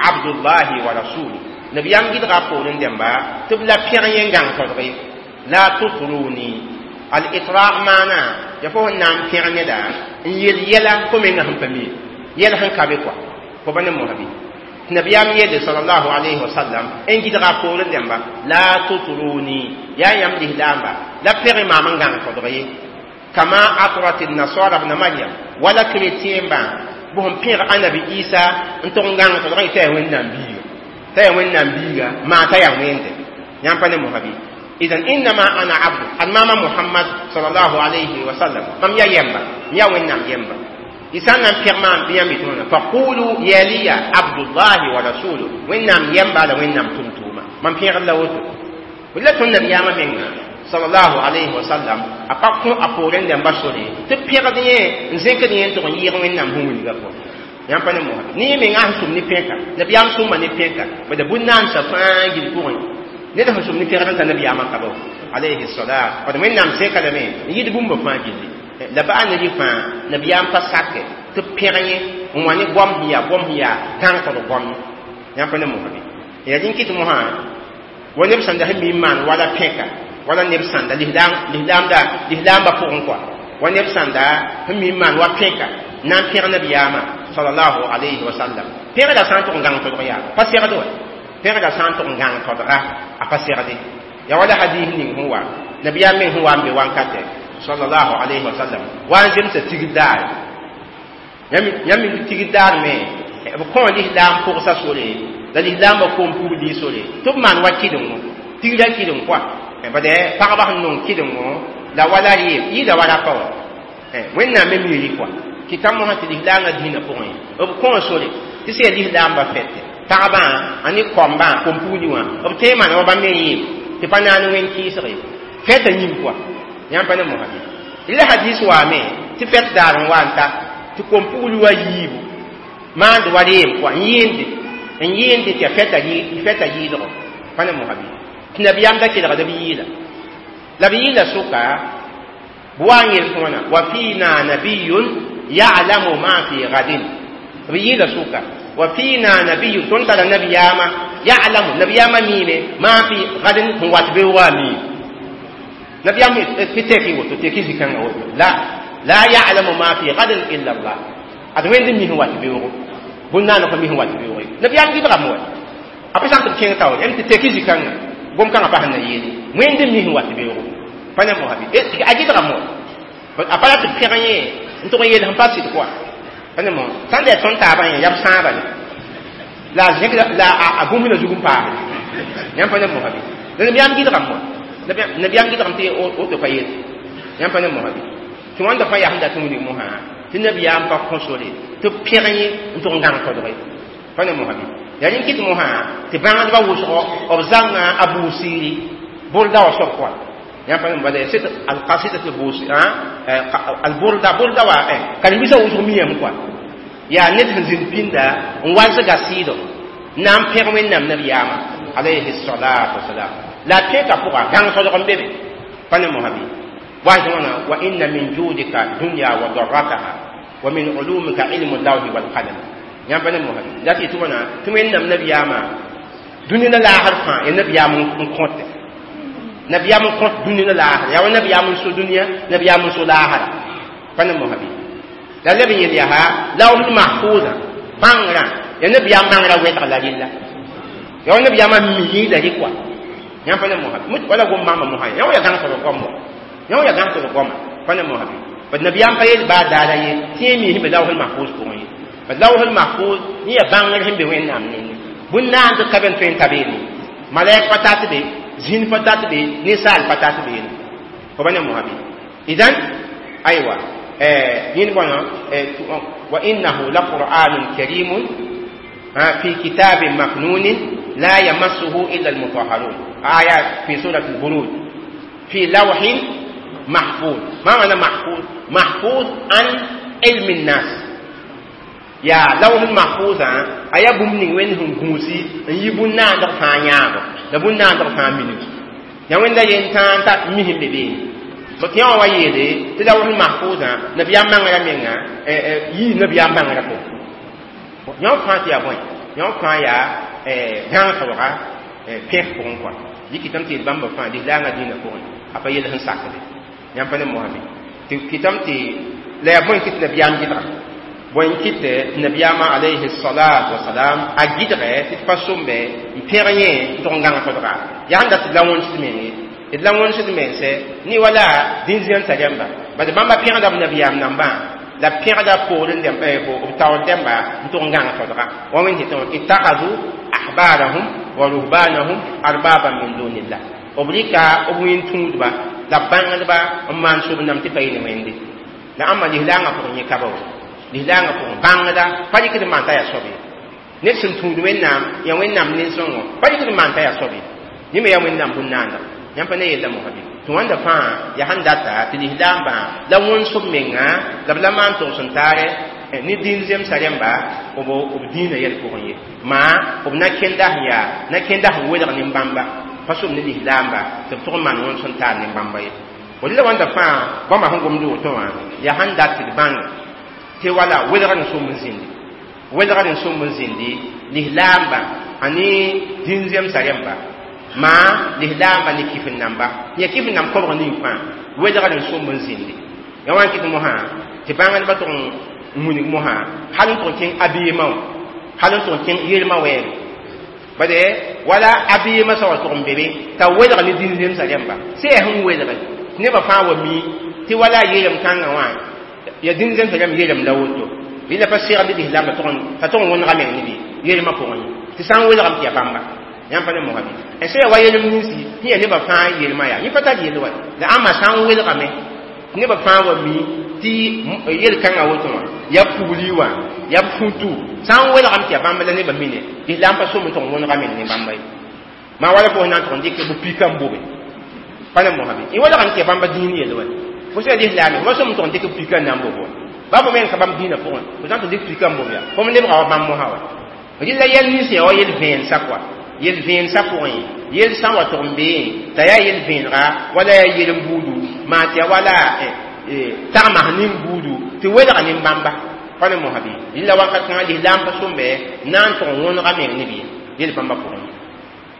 عبد الله ورسوله نبيام gɩdga poorẽ dẽmba tɩ b la pẽg yẽ gãng todge la tutruni al-itraq maana ya fo sẽn na n pẽg neda n yel yɛla fo menga sẽn pa mi yɛl sẽn ka be kɔa fo pa ne mosã bɩ tɩ nabiyaam yeelde sallallahu alayhi wa sallam n gɩdga poorẽ dẽmba la tutruni yaa yãmb lislaamba la pẽg maam n gãng todg ye kama atrat an-nasara ibn maryam wala chrétien bã bʋ sẽn pẽg anabi isa n tʋg n gãng todg t'a yaa wẽnnaam biiga t'a yaa wẽnnaam biiga maa t'a yaa wẽnde yãmb pa ne mosã bɩ إذن إنما أنا عبد الماما محمد صلى الله عليه وسلم مم يا يمبا يا وين يمبا إسان نم بيرمان بيام بيتونا فقولوا يا لي عبد الله ورسوله وين نم يمبا لا وين نم تمتوما مم بير الله وتو ولا تون نبي ياما من صلى الله عليه وسلم أبقوا أقولين دم بسوري تبير دنيا نزيك دنيا تون يير وين نم هم يلقوا yãmb pa ne mosã ne menga sẽn sʋm ne pẽka nabiyaam sʋmba ne pẽka bada bũn-naandsã fãa gil pʋgẽ ned sẽn sʋm ne pẽgd n ta nabiyaamã ka ba alayhi salam bad wẽnnaam zẽka lame n yɩd bũmba fãa gilli la baa ne rɩ fãa nabiyaam pa sake tɩ pẽg yẽ n wa ne goam sẽn yaa gãng tod goam yãmb pa ne mosã bɩ yaa rĩn kɩt mosã wa neb sãnda sẽn mi n maan wala pẽka wala neb sãnda lislaamba pʋgẽ kɔa wa neb sãnda sẽn mi n maan wa pẽka na n pẽg nabiyaamã sallallahu alayhi wa sallam pẽgda sã n tʋg n gãng todg yaa pa segd wa pẽgda sã n tʋg n gãng todga a pa segde yaa wala hadis ning sẽn wa nabiyaam meng sẽn wa n be wankatɛ sallallahu alayhi wa sallam wa n zemsa tigr daare yãmb mi tigr daar me b kõ lislaam pʋgsa sore la lislaambã koom pugli sore tɩ b maan wa kɩdengo tigrã kɩdeng kɔa bad pagba sẽn nong kɩdengo la wala rɩɩm yɩɩda wa rapa wa wẽnnaam me mi rɩ kɔa kɩta mosã tɩ lislaangã dĩinã pʋgẽ b kõ sore tɩ sẽn yaa lislaambã fɛtɛ pagbã a ne koambã kom-pugli wã b tõe n maana wa bãmb me yɩɩm tɩ pa naan wẽn kɩɩsge fɛtã yĩng kɔa yãmb pa ne mosã bɩ la hadis waame tɩ fɛt daar n wa n ta tɩ kom-pugli wa yiibu maand wa reem kɔa n yɩɩnde tɩ yaa fɛta yɩɩlgo pa ne mosã bɩ tɩ nabiyaam da kelgda b yɩɩla la b yɩɩla sʋka b wa n yel tɩ wãna wa fiina nabiyun ya'lamu ma fi gadin b yɩɩla sʋka wa fiina nabiyun tõnd tara nabiyaamã ya'lamu nabiyaamã miime ma fi gadin sẽn wat beoogã a miime nabiyaam tɩ tɛk woto tɛk zĩ-kãngã woto la ya'lamu ma fi gadin illa Allah ad wẽnd mi sẽn wat beoogo bũn-naana pa mi sẽn wat beoogo ye nabiyaam gɩdgame wa a pa sã n tɩ b kẽng taoor yãmb tɩ tɛk zĩ-kãngã gom-kãngã pa sẽn na yeele wẽnd mi sẽn wat beoogo pa ne mosã bɩ a gɩdgame wa a pa ra tɩ b pẽg yẽ n tʋg n yeel sẽn pa sɩd kɔa pa ne mosã sãn da yaa tõnd taabã yẽ yaa b sãaba le la a zẽk la a bũmb na zug n paasde yãmb pa ne mosã bɩ la nabiyaam gɩdgame wa nabiyaam gɩdgame tɩ woto pa yel yãmb pa ne mosã bɩ tɩ wãnda fãa yaa sẽn dat n wilg mosã tɩ nabiyaam pa kõ sore tɩ b pẽg yẽ n tʋg n gãng todge pa ne mosã bɩ Ya rẽn kɩt mosã tɩ bãngdbã wʋsgɔ b zãnga a buusiri burda wa soab kɔa yãmb pa bala c'est al-qasida al-buusi al-burda burda wa karen-biisã wʋsg miyame kɔa yaa ned sẽn zĩnd pĩnda n walsga sɩɩdo na n pẽg Wẽnnaam nabiyaamã alayhi salatu wasalam la a pẽka pʋga gãng sodg n be be pa ne mosã bɩ waas wãna wa inna min judika dunya wa darrataha wa min ulumika ilmu lawhi walqalam yãmb pa ne mosã bɩ la tɩ tɩ wãna tɩ Wẽnnaam nabiyaamã dũni la laasr fãa ya nabiyaam n kõte nabiyaam n kõt dũni la laasr yaa wa nabiyaam n so dũniyã nabiyaam n so laasra pa ne mosã bɩ la leb n yel yaa lawhl mahfuzã bãngrã ya nabiyaam bãngrã wɛlg la rɩlla ya wa nabiyaamã mi la rɩ kɔa yãmb pa ne mosã bɩ wala gom bãmba mosã yã wa ya gãngsd goam wa yã wa ya gãngsd goama pa ne mosã bɩ bad nabiyaam pa yel baa daara ye tɩ yẽ mi sẽn be lawhl mahfuz pʋgẽ ye bad lawhl mahfuz yẽ ya bãngr sẽn be Wẽnnaam nengẽ bũn-naand tɩ ka be n tõe n ta beene malɛk pa tat be zĩn pa tat be ninsaal pa tat beene fo ba ne mosã bɩ idan aywa yẽnd bõna wa innahu la qur'anun karimun fi kitabin maknunin la yamassuhu illa almutahharun aya fi surat al-buruj fi lawhin mahfuz ma maana mahfuz mahfuz an ilmi nnas yaa lawhl mahfuzã a yaa bũmb ning Wẽnd sẽn gũusi n yi bũn-naandg fãa yãabo la bũn-naandg fãa minim ya Wẽnda yen tãa n ta mi sẽn be beene bõ tɩ yã wã wa yeele tɩ lawhl mahfuzã nabiyaam bãngrã menga yii nabiyaam bãngrã pʋgẽ yã fãa tɩ yaa bõe yã fãa yaa gãngsdga pẽs pʋgẽ kɔa dɩkɩtame tɩ yel bãmba fãa lislaangã dĩinã pʋgẽ a pa yel sẽn sakde yãmb pa ne mosã bɩ tɩ kɩtame tɩ la yaa bõe kɩ tɩ nabiyaam gɩdga bõe n kɩt tɩ nabiyaamã alayhi salatu wasalam a gɩdgɛ tɩ d pa sombe n pẽg yẽ n tʋg n gãng todga yaa sẽn dat tɩ d la wõnsd menge d la wõnsd mense ne wala dĩn-zẽmsã rẽmba bad bãmba pẽgda b nabiyaam nambã la pẽgda poor n b taoor dẽmba n tʋg n gãng todga wa Wẽnd tɩ ittakhadhu ahbarahum wa ruhbanahum arbaban min dunillah b rɩka b wẽn-tũudba la b bãngdba n maan sob nam tɩ pa yɩ ne Wẽnde la ãmba lislaangã pʋgẽ yẽ ka ba wa lislaangã pʋgẽ bãngda pa rɩkd n maan t'a yaa soab ye ned sẽn tũud Wẽnnaam yaa Wẽnnaam nin-sõngo pa rɩkd n maan t'a yaa soab ye yẽ me yaa Wẽnnaam bũn-naanda yãmb pa ne yella mosã bɩ tɩ wãnda fãa yaa sẽn data tɩ lislaambã la wõns b menga la b la maan togs n taare ne dĩn zemsã rẽmba b dĩinã yɛl pʋgẽ ye maa b na kẽnda sẽn yaa na kẽnda sẽn welg nin-bãmba pa sob ne lislaamba tɩ b tʋg n maan wõns n taar nin-bãmba ye la wãnda fãa bãmba sẽn gomd woto wã yaa sẽn dat tɩ d bãng tɩ wala welgr n somb n zĩndi welgr n somb n zĩndi lislaamba a ne dĩn zemsã rẽmba maa lislaamba ne kif n namba ya kif n namb kobg ning fãa welgr n somb n zĩndi ya wa n kɩt mosã tɩ bãngdbã tʋg n wilg mosã hal n tʋg n kẽng abeemã wã hal n tʋg n kẽng yelmã wɛɛge bade wala abeemã sã wa tʋg n be be t'a welg ne dĩn zemsã rẽmba sẽn yaa sẽn welge tɩ nebã fãa wa mi tɩ wala yeelem kãngã wã ya dĩn zemsã rãmb yeelem la woto yẽla pa segd lislaambã t'a tʋg n wõnega meng ne bɩ yeelmã pʋgẽ ye tɩ sã n welgame tɩ yaa bãmba yãmb pa ne mosã bɩ n sã yaa wa yelem ninsi sẽn yaa nebã fãa yelmã yaa yẽ pa tar yel wa la ãmba sã n welgame tɩ nebã fãa wa mi tɩ yel-kãngã woto wã yaa pugli wã yaa futu sã n welgame tɩ yaa bãmba la nebã mine lislaam pa som n tʋg n wõnega meng ne bãmba ye maa wala fo na n tʋg n dɩk b pika n bobe pa ne mosã bɩ y welgame tɩ yaa bãmba dĩin yel wa fo sã lislaame fo som n tʋg n dɩk b pika n na n bob wa ba fo meng ka bãmb dĩinã pʋgẽ fo sã n tʋg dɩk pika n bob yaa fo me lebga wa bãmb mosã wa rɩla yɛl nins yaa wa yel vẽensã kɔa yel vẽensã pʋgẽ yel sã n wa tʋg n beẽ t'a yaa yel vẽenega wala yaa yel n buudu maa tɩ yaa wala tagmas ning buudu tɩ welga nin-bãmba pa ne mosã bɩ rɩla wakat kãngã lislaam pa sõmbe na n tʋg n wõnega meng ne bɩ yel bãmba pʋgẽ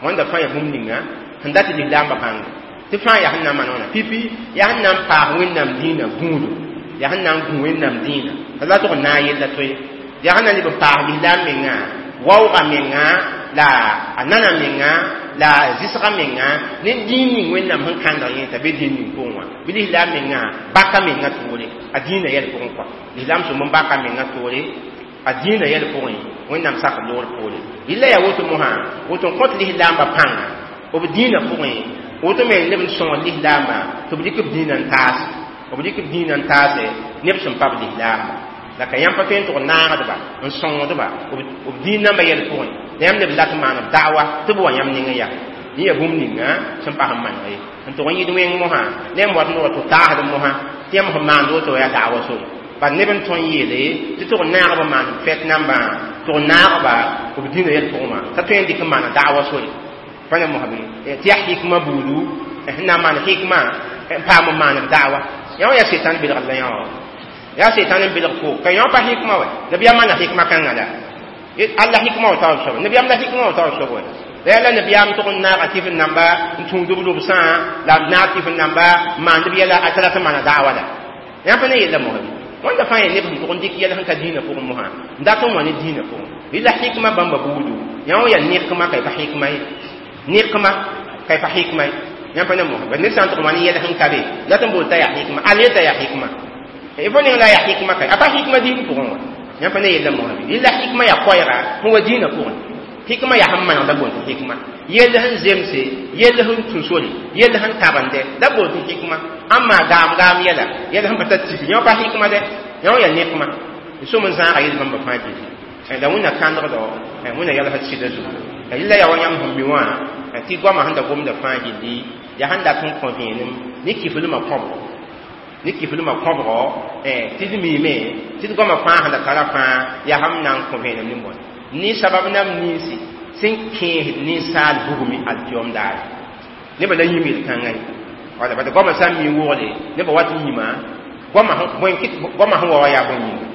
wãnda fãa yaa bũmb ninga sẽn dat tɩ lislaambã bãnge tɩ fãa yaa sẽn na n maan wãna pipi yaa sẽn na n paas Wẽnnaam dĩinã gũudu yaa sẽn na n gũ Wẽnnaam dĩinã t'a la tʋg n naag yella toe yaa sẽn na n leb n paas lislaam menga waooga menga la a nana menga la zɩsga menga ne dĩin ning Wẽnnaam sẽn kãndg yẽ t'a be dĩin ning pʋgẽ wã bɩ lislaam menga baka menga toore a dĩinã yɛl pʋgẽ kɔa lislaam sõm n baka menga toore a dĩinã yɛl pʋgẽ Wẽnnaam sak loor poore yella yaa woto mosã woto n kõt lislaambã pãnga b dĩinã pʋgẽ woto me leb n sõng lislaambã tɩ b dɩk b dĩinã n taase b dɩk b dĩinã n taase neb sẽn pa b lislaamba La ka yãmb pa tõe n tʋg naagdba n sõngdba b dĩin nambã yɛl pʋgẽ la yãmb neb dat n maan b da'wa tɩ b wa yãmb nengẽ yaa yẽ yaa bũmb ninga sẽn pas n maneg ye n tʋg n yɩd wẽng mosã ne yãmb wat noogã tɩ taasd mosã tɩ yãmb sẽn maand woto yaa da'wa sore bad neb n tõe n yeele tɩ tʋg naagb n maan fɛt nambã tʋg naagba b dĩinã yɛl pʋgẽ wã t'a tõe n dɩk n maana da'wa sore pa ne mosã bɩ tɩ yaa hikma buudu sẽn na n maan hikma n paam n maan b da'wa yã wã yaa setan belgd la yã wã yaa setan n belg fo ka yã pa hikma wɛ nabiyaam maana hikma kãngã la alla hikma wa taoor soaba nabiyaam la hikma wa taoor soaba wɛ la yaa la nabiyaam tʋg n naaga tɩf n namba n tũud b lobsã la b naag tɩf n namba n maand b yɛla a tara tɩ maana da'wa la yã pa ne yella mosã wãnda fãa yaa neb sẽn tʋg n dɩk yɛl sẽn ka dĩinã pʋgẽ mosã n dat n wa ne dĩinã pʋgẽ rɩla hikma bãmba buudu yã wã yaa nekma ka y pa hikma ye nekma ka y pa hikma ye yãmb pa ne mosã bad ned sã n tʋg n wa ne yɛl sẽn ka be la tɩ n bool t'a yaa hikma al yeta yaa hikma fo ning la yaa hikma ka a pa hikma dĩin pʋgẽ wã yãmb pa ne yella mosã bɩ rɩla hikma yaa koɛɛga sẽn wa dĩinã pʋgẽ hikma yaa sẽn manegda boond tɩ hikma yell sẽn zemse yell sẽn tũ sore yell sẽn tabende la boond tɩ hikma ãn maa gaam gaam yɛla yɛl sẽn pa tar tiki yã pa hikma dɛ yã wã yaa nekma d sʋm n zãaga yel bãmba fãa gilli la wẽnna kãndgdo wẽnna yɛlsd sɩda zugu rɩla yaa wa yãmb sẽn mi wã tɩ goamã sẽn da gomda fãa gilli yaa sẽn dat n kõ vẽenem ne kiflmã kõbgo ne kiflmã kõbgo tɩ d miime tɩ d goamã fãa sẽn da tara fãa yaa sẽn na n kõ vẽenem ne bõe ne sabab nam ninsi sẽn kẽesd ninsaal bugmi alkiyom daare nebã la yĩm yel-kãngã ye wala bad goamã sã n mi wogle nebã wat n yĩma goamã sẽn wa wa yaa bõe yĩnga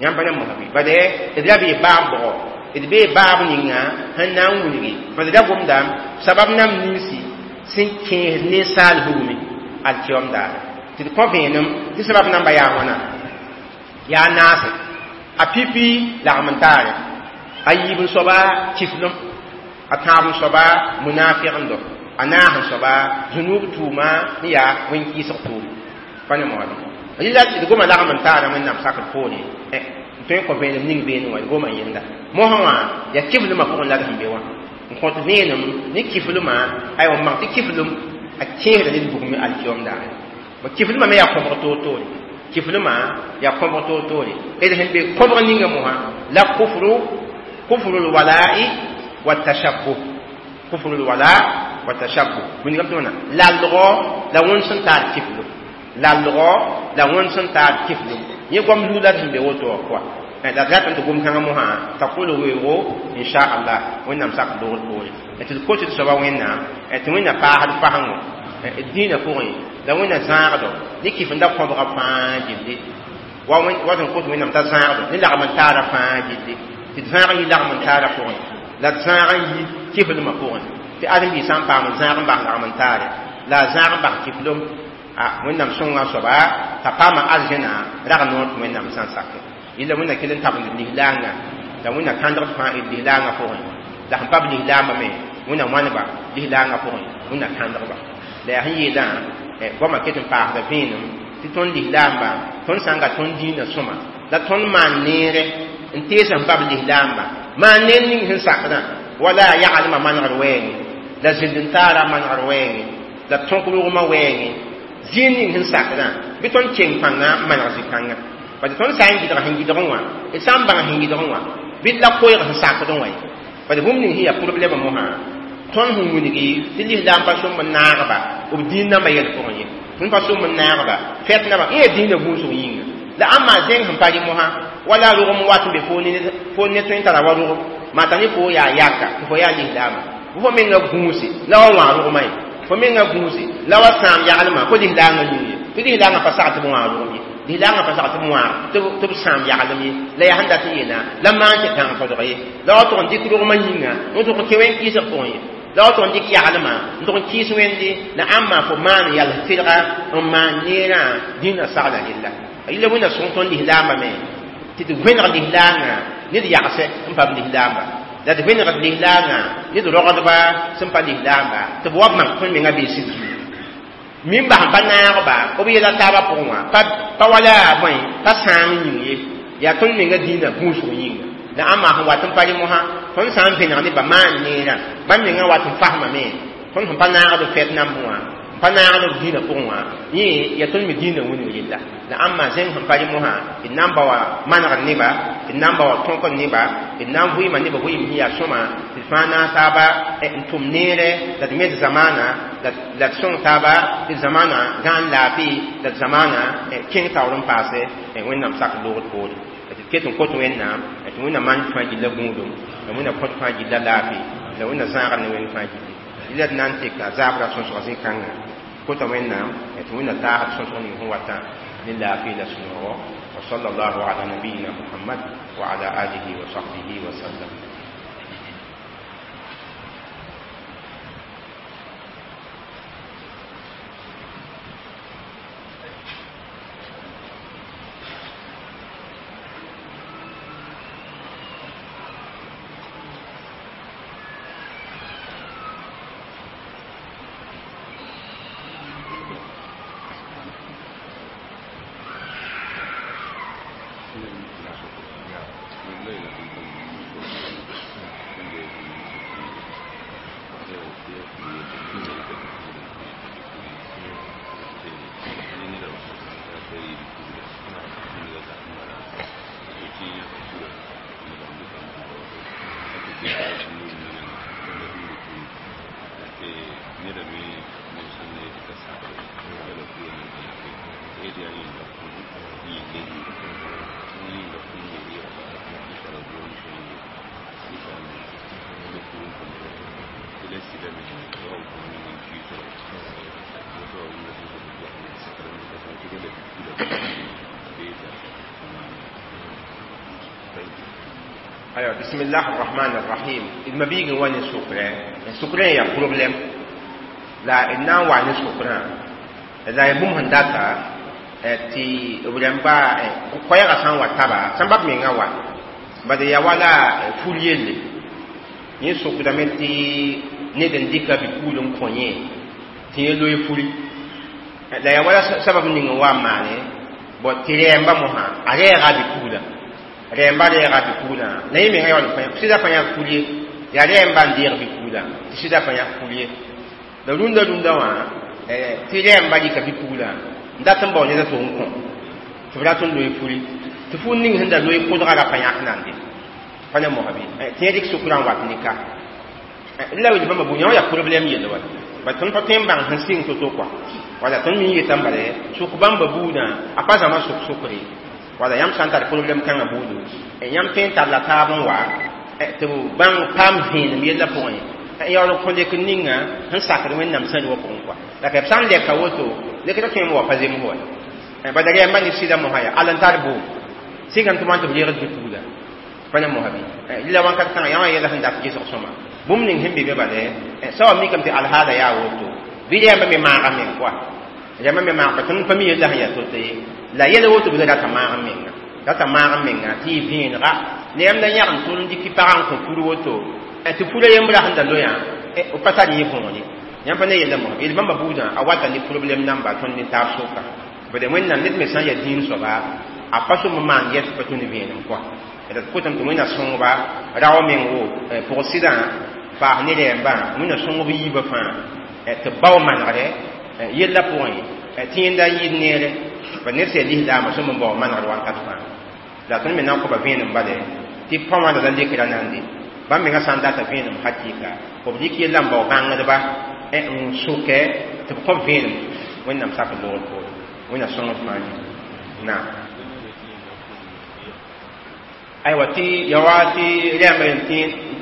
yãmb pa ne mosã bɩ bad d ra bee baab bʋgɔ d bee baab ninga sẽn na n wilgi bad ra gomda sabab nam ninsi sẽn kẽesd ninsaal bugmi alkiyom daare tɩ d kõ vẽenem tɩ sabab namba yaa wãna yaa naase a pipi lagm n taare a yiib n soaba kiflem a tãab n soaba munafiqndo a naas n soaba zunub tʋʋma n yaa wẽn-kɩɩsg tʋʋm pa ne moade rɩla d goma lagm n taara wẽnnaam sakr poore n tõe n kõ vẽenem ning beene wã d goma yẽnda mosã wã yaa kiflmã pʋgẽ la d sẽn be wã n kõt vẽenem ne kiflmã aywa n mak tɩ kiflem a kẽesda ned bugme alkiyom daare kiflmã me yaa kõbg toor-toore kiflmã yaa kõbg toor-toore d sẽn be kõbg ninga mosã la kufru kufru lwala'i wa tashabbuh kufru lwala wa tashabbuh wĩndigame tɩ wãna lalgɔ la wẽnd sẽn taar kiflem lalgɔ la wẽnd sẽn taar kiflem yẽ goam zug la d sẽn be woto wã pʋga la d ratame tɩ gom-kãngã mosã t'a kʋl weoogo inchallah wẽnnaam sak dogr poore tɩ d kot d soaba wẽnnaam tɩ wẽnna paasd fasengo d dĩinã pʋgẽ la wẽnna zãagdo ne kifenda kõbga fãa gilli wa sẽn kot wẽnnaam t'a zãagdo ne lagm n taara fãa gilli tɩ d zãag n yi lagm n taara pʋgẽ la d zãag n yi kiflmã pʋgẽ tɩ ãdem-biig sã n paam n zãag n bas lagm n taare la a zãag n bas kiflem a wẽnnaam sõnga soaba t'a paama arzẽna rag noor tɩ wẽnnaam sã n sake yella wẽnna kell n tabend lislaangã la wẽnna kãndgd fãa d lislaangã pʋgẽ la sẽn pa b lislaambã me wẽnna wãneba lislaangã pʋgẽ wẽnna kãndgba la yaa sẽn yeelã goamã ket n paasda vẽenem tɩ tõnd lislaambã tõnd sã n ga tõnd dĩinã sõma la tõnd maan neere n tees sẽn pa b lislaambã maan neer ning sẽn sakdã wala yaglmã manegr wɛɛngẽ la zĩnd n taara manegr wɛɛngẽ la tõk rogmã wɛɛngẽ zĩig ning sẽn sakdã bɩ tõnd keng pãnga n maneg zĩ-kãngã parce tõnd sã n gɩdg sẽn gɩdgẽ wã d sã n bãng sẽn gɩdgẽ wã bɩ d la koɛɛg sẽn sakdẽ wã ye parce bũmb ning sẽn yaa problɛmã mosã tõnd sẽn wilgi tɩ lislaam pa sõm n naagba b dĩin nambã yɛl pʋgẽ ye tõnd pa sõm n naagba fɛt namba yẽ yaa dĩinã gũusg yĩnga la ãmba zẽng sẽn pa rɩ mosã wala rogem wat n be fo ne tõe n tara wa rogem maa t'a ne fo yaa yaka tɩ fo yaa lislaama bɩ fo menga gũuse la wa wã rogmã ye fo menga gũuse la wa sãam yaglmã fo lislaangã yĩng ye tɩ lislaangã pa sag tɩ b wã rogem ye lislaangã pa sag tɩ b wã tɩ b sãam yaglem ye la yaa sẽn dat n yeela la maan tɩ tãng fodg ye la wa tʋg n dɩk rogmã yĩnga n tʋg n kẽ wẽn-kɩɩsg pʋgẽ ye la wa tʋg n dɩk yaglmã n tʋg n kɩɩs wẽnde la ãmba fo maan yals tɩlga n maan neerã dĩinã sagla rella yella wẽnna sõng tõnd lislaambã me tɩ d vẽneg lislaangã ne d yagsɛ n pa b lislaamba la d vẽnegd lislaangã ne d rogdba sẽn pa lislaamba tɩ b wa b mak tõnd menga bee sɩd zugu min bas n pa naagba b yɛla taabã pʋgẽ wã pa wala bõe pa sãam yĩng ye yaa tõnd menga dĩinã gũusg yĩnga la ãmba sẽn wat n pa rɩ mosã tõnd sã n vẽneg ne ba maan neerã bãmb menga wat n fasmame tõnd sẽn pa naagd fɛt nambẽ wã Pa naagd b dĩinã pʋgẽ wã yẽ yaa tõnd me dĩinã wilg yella la ãmba zẽng sẽn pa rẽ mosã d na n ba wa manegd neba d na n ba wa tõkd neba d na n vɩɩma neba vɩɩm sẽn yaa sõma tɩ d fãa naas taaba n tʋm neere la d me d zamaana la d sõng taaba tɩ zamaana gãan laafɩ la d zamaana kẽng taoor n paase Wẽnnaam sak loogd poore tɩ d ket n kot Wẽnnaam tɩ Wẽnnaam maan fãa gilla gũudum la Wẽnnaam kõt fãa gilla laafɩ la Wẽnnaam zãagr ne wẽnd fãa gilli la d na n teka zaabra sõsg zĩ-kãngã kota Wẽnnaam tɩ Wẽnnaam taasd sõsg ning sẽn watã ne laafɩ la sũ-noogo wa sallallahu ala nabiyina Muhammad wa ala alihi wa sahbihi wa sallam. أيوة بسم الله الرحمن الرحيم المبيغ وين سكرة سكرة يا problem لا إنا وين سكرة لا يبوم هنداتا تي ورمبا كويا غسان واتابا سبب من غوا بعد يا ولا فوليل ni sukra me ti ne den dika bi kulum konye ti lo fuli la ya wala sabab ni ngwa mane bo tiremba moha are ga bi kula rẽmba reega bi-puglã la yẽ menga yaool n pa sɩda pa yãk ful ye yaa rẽmba n deeg bi-puglã tɩ sɩda pa yãk ful ye la rũndã rũndã wã tɩ rẽmba rɩka bi-puglã n dat n bao ned a to n kõ tɩ b rat n loe fuli tɩ ful ning sẽn da loe kʋdga ra pa yãk nande pa ne mosã bɩ tɩ yẽ rɩk sʋkrã n wat ne ka la wil bãmba buud yã wã yaa problɛm yelle wa ba tõnd pa tõe n bãng sẽn sɩng to-to kɔa wala tõnd mi yetã bala sʋk bãmba buudã a pa zãma sʋk sʋkre wala yãmb sã n tar problɛm kãngã buudu yãmb tõe n tar la taab n wa tɩ b bãng paam vẽenem yellã pʋgẽ n yaool n kõ lek ninga sẽn sakd Wẽnnaam sẽn wã pʋgẽ kɔa la ka b sã n lɛka woto lekda tõe n wa pa zems wa bala rɛɛmbã ne sɩda mosã yaa all n tar boom sɩkame tɩ wãn tɩ b reegd bi-pugla pa ne mosã bɩ la wãnkat kãngã yã wã yɛla sẽn dat gesg sõma bũmb ning sẽn be be bala sã wa mikame tɩ alhaala yaa woto bɩ rɛɛmbã me maaga meng kɔa rɛɛmbã me maag pa tõnd pa mi yella sẽn yaa to-to ye la yɛl woto bɩ rata maag n menga rata maag n menga tɩ yɩ vẽenega la yãmb la yãg n tʋl n dɩk tɩ pagã n kõ pur woto tɩ pura yembrã sẽn da loyã b pa tar yẽ võore yãmb pa ne yella mosã yel bãmba buudã a wata ne problɛm namba tõnd ne taab soka bade Wẽnnaam ned me sã n yaa dĩin soaba a pa sʋm n maan yɛs pa tũ ne vẽenem kɔa d kotame tɩ Wẽnna sõngba rao meng wo pʋg sɩdã paas ne rɛɛmbã Wẽnna sõngb yiibã fãa tɩ b bao manegre yellã pʋgẽ tɩ yẽnda n yɩɩd neere ba ned sẽn lislaamã sõm n bao manegr wakat fãa la tõnd me na n kõba vẽenem bale tɩ pa wãnda la lekra nande bãmb mengã sã n data vẽenem hakɩɩka b dɩk yellã n bao bãngdba n sʋkɛ tɩ b kõb vẽenem Wẽnnaam sak loogr poore Wẽnna sõngd fãa naam aywa tɩ ya wa tɩ rɛɛmbã tɩ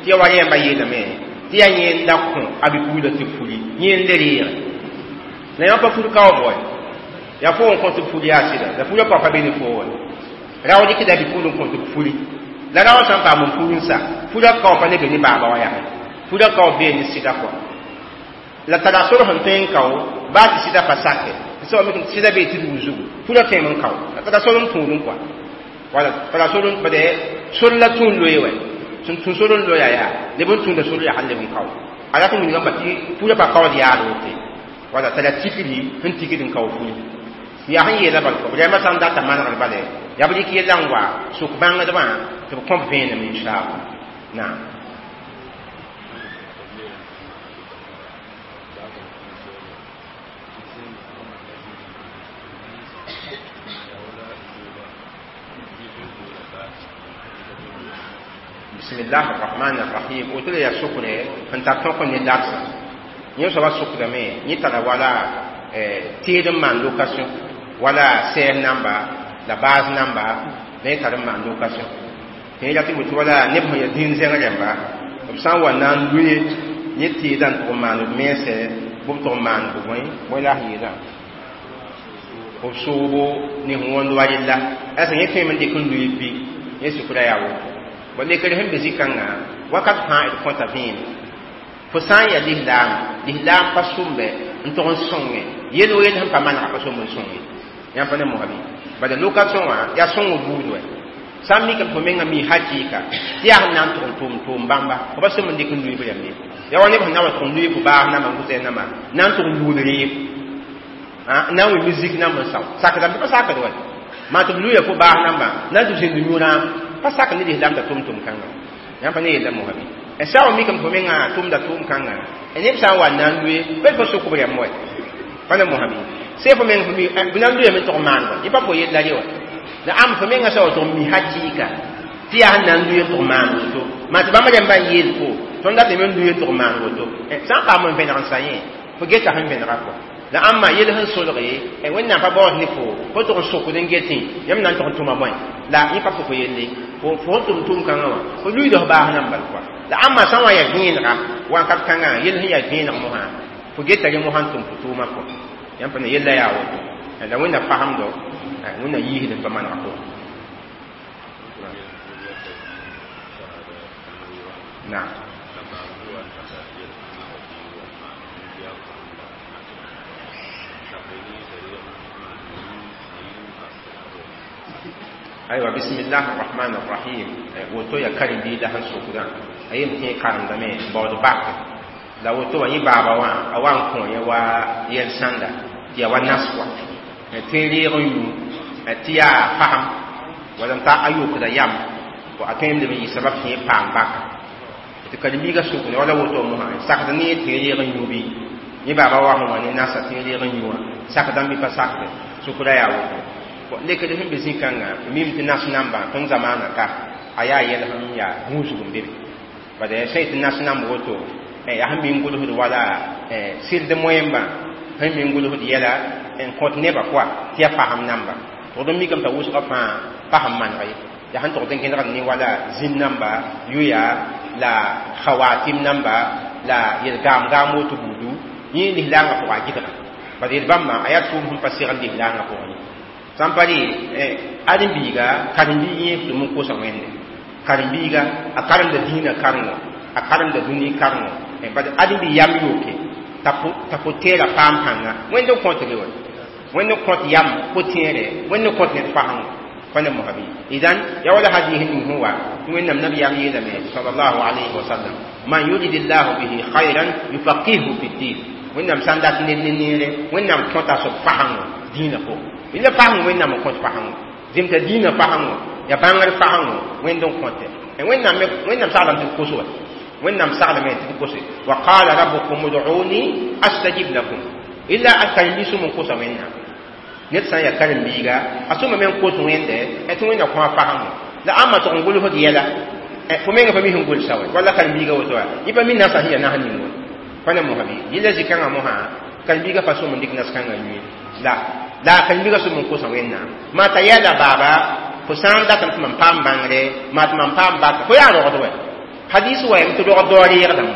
ya wa rɛɛmbã yeelame tɩ yaa yẽnda kõ a bi-puglã tɩ fuli yẽnd le reege la yã pa fur kaoog wa yaa fo n kõ tɩ fuli yaa sɩda la furã pa pa be ne fo wa rao dɩkda bi-pugl n kõ tɩ fuli la rao sã n paam n pur n sa furã kao pa le be ne baaba wã yaa furã kao bee ne sɩda kɔa la tara sor sẽn tõe n kao baa tɩ sɩda pa sake tɩ soab tɩ sɩda bee tɩ dug zugu furã tõeme n kao la tara sor n tũud n kɔa wala tara sor n bade sor la tũud loe wɛ sẽn tũ sor n loya yaa leb n tũuda sor yaa leb n kao a rat n wilgame tɩ furã pa kaood yaad wote wala tara tikri sẽn tikd n kao furi yaa sẽn yeela bal kɔ rɛɛmbã sã n data manegr bala yaa b rɩk yellã n wa sʋk bãngdbã tɩ b kõb vẽenem inchallah naam. Bismillah ar-Rahman ar-Rahim woto la yaa sokre sẽn tar tõk ne dagsã yẽ soaba sokdame yẽ tara wala teed n maan location wala sɛɛr namba la baas namba la yẽ tar n maan location tɩ yẽ rat n woto wala neb sẽn yaa dĩin zẽng rẽmba b sã n wa na n loe yẽ teedã n tʋg n maan b mense bɩ b tʋg n maan b bõe bõe la a yeelã b soobo ne sẽn wõnd wa rella asa yẽ tõeme n dɩk n loe bɩ yẽ sʋkra yaa woto bõ lekr sẽn be zĩ-kãngã wakat fãa d kõta vẽene fo sã n yaa lislaam lislaam pa sʋmbe n tʋg n sõnge yel o yel sẽn pa manega pa somb n sõnge yãmb pa ne mosã bɩ bala location wã yaa sõng buud wɛ sã n mikame fo menga mi hakɩɩka tɩ yaa sẽn na n tʋg n tʋʋm tʋʋm bãmba fo pa somb n dɩk n lʋɩ b rãmb ye yaa wa neb sẽn na wa tʋg n lʋɩ fo baas namba n gʋsɛ namba na n tʋg n luud reeb na n wɩ musique namba n sao sakdame tɩ pa sakd wɛ maa tɩ b lʋɩa fo baas namba na n tɩ zĩnd yũurã pa sak ne lislaam t'a tʋm tʋm kãngã yãmb pa ne yella mosã bɩ sã wa mikame fo menga tʋmda tʋʋm kãngã neb sã n wa na n lʋe bel fo sʋk b rãmb wɛ pa ne mosã bɩ sẽn fo meng b na n lʋyame tʋg n maan wa yẽ pa fo yella re wa la ãmb fo menga sã wa tʋg n mi hakɩɩka tɩ yaa sẽn na n lʋɩ n tʋg maan woto maa tɩ bãmb rãmbã n yeel fo tõnd datame n lʋɩ n tʋg maan woto sã n paam n vẽneg n sa yẽ fo geta sẽn vẽnega kɔ la ãmba yel sẽn solge Wẽnnaam pa baood ne fo fo tʋg n sokd n getẽ yãmb na n tʋg n tʋma bõe la yẽ pa fo yelle fo sẽn tʋm tʋʋm kãngã wã fo luiida f baas nan bal kɔa la ãmba sã n wa yaa vẽenega wakat kãngã yel sẽn yaa vẽeneg mosã fo geta rẽ mosã n tʋm fo tʋʋmã kɔ yãmb pa ne yella yaa woto la Wẽnna fasemdo Wẽnna yiisd n pa manega pʋgẽ naam. Aywa, bismillah arrahman arrahim woto ya karen-biida sẽn sokdã a yem tẽ karemdame baood bak la woto wã yẽ baaba wã a wa n kõ yẽ wa yɛl sãnda tɩ yaa wa nas wa tẽ reeg n yũ tɩ yaa fasem wala n ta a yokda yam a tõem leb n yɩ sabab tɩ yẽ paam baka tɩ karen-biigã sokde wala woto mosã sakd ne tẽ reeg n yũ bɩ yẽ baaba wa sẽn wa ne nasa tẽ reeg n yũ wã sakdame bɩ pa sakde sokda yaa woto lekd sẽn be zĩ-kãngã mim tɩ nas nambã tõnd zamaanã ka a yaa yɛl sẽn yaa gũusg n bebe bala sã yetɩ nas namb woto yaa sẽn mi n gʋlsd wala sɩld moẽmbã sẽn mi n gʋlsd yɛla n kõt nebã pʋa tɩ yaa fasem namba tʋgd n mikame t'a wʋsgã fãa fasem maneg ye yaa sẽn tʋgd n gẽdgd ne wala zĩn namba yoya la khawatim namba la yel gaam-gaam woto buudu yẽ lislaangã pʋga a gɩdga bala yel bãmba a yaa tʋʋm sẽn pa segl lislaangã pʋgẽ sã n pa rɩ ãdem-biiga karen-biig yẽ tɩ n kosa Wẽnde karen-biiga a karemda dĩinã karengo a karemda dũni karengo bad ãdem-biig yam yoke t'a pʋ-tẽerã paam pãnga Wẽnd n kõt re wa Wẽnd n kõt yam pʋ-tẽere Wẽnd n kõt ned fasengo pa ne mosã bɩ idan ya wala hadis ning sẽn wa tɩ Wẽnnaam nabiyaam yeelame sallallahu alayhi wa sallam man yuridillahu bihi khayran yufaqihu fi ddin Wẽnnaam sã n dat ned ne neere Wẽnnaam kõta soab fasengo dĩinã pʋgẽ la faseng Wẽnnaam n kõt fasengo zĩmta dĩinã fasengo ya bãngr fasengo Wẽnd n kõte Wẽnnaam saglame tɩ b kos wa Wẽnnaam saglame tɩ b kose wa qala rabbukum ud'uni astajib lakum illa a karen-biig sũm n kosa Wẽnnaam ned sã n yaa karen-biiga a sõma me n kos Wẽnde tɩ Wẽnna kõ a fasengo la ãmba tʋg n gʋlsd yɛla fo menga pa mi sẽn gʋlsa wɛ walla karen-biiga woto wa yẽ pa mi nasã sẽn yaa nas ning wa pa ne mosã bɩ yella zĩ-kãngã mosã karen-biiga pa sõm n dɩk nas kãngã yũe la la karen-biigã sõm n kosa Wẽnnaam maa t'a yɛla baaba fo sã n datame tɩ mam paam bãngre maa tɩ mam paam baka fo yaa rogd wɛ hadis wa yam tɩ rogd dao reegdame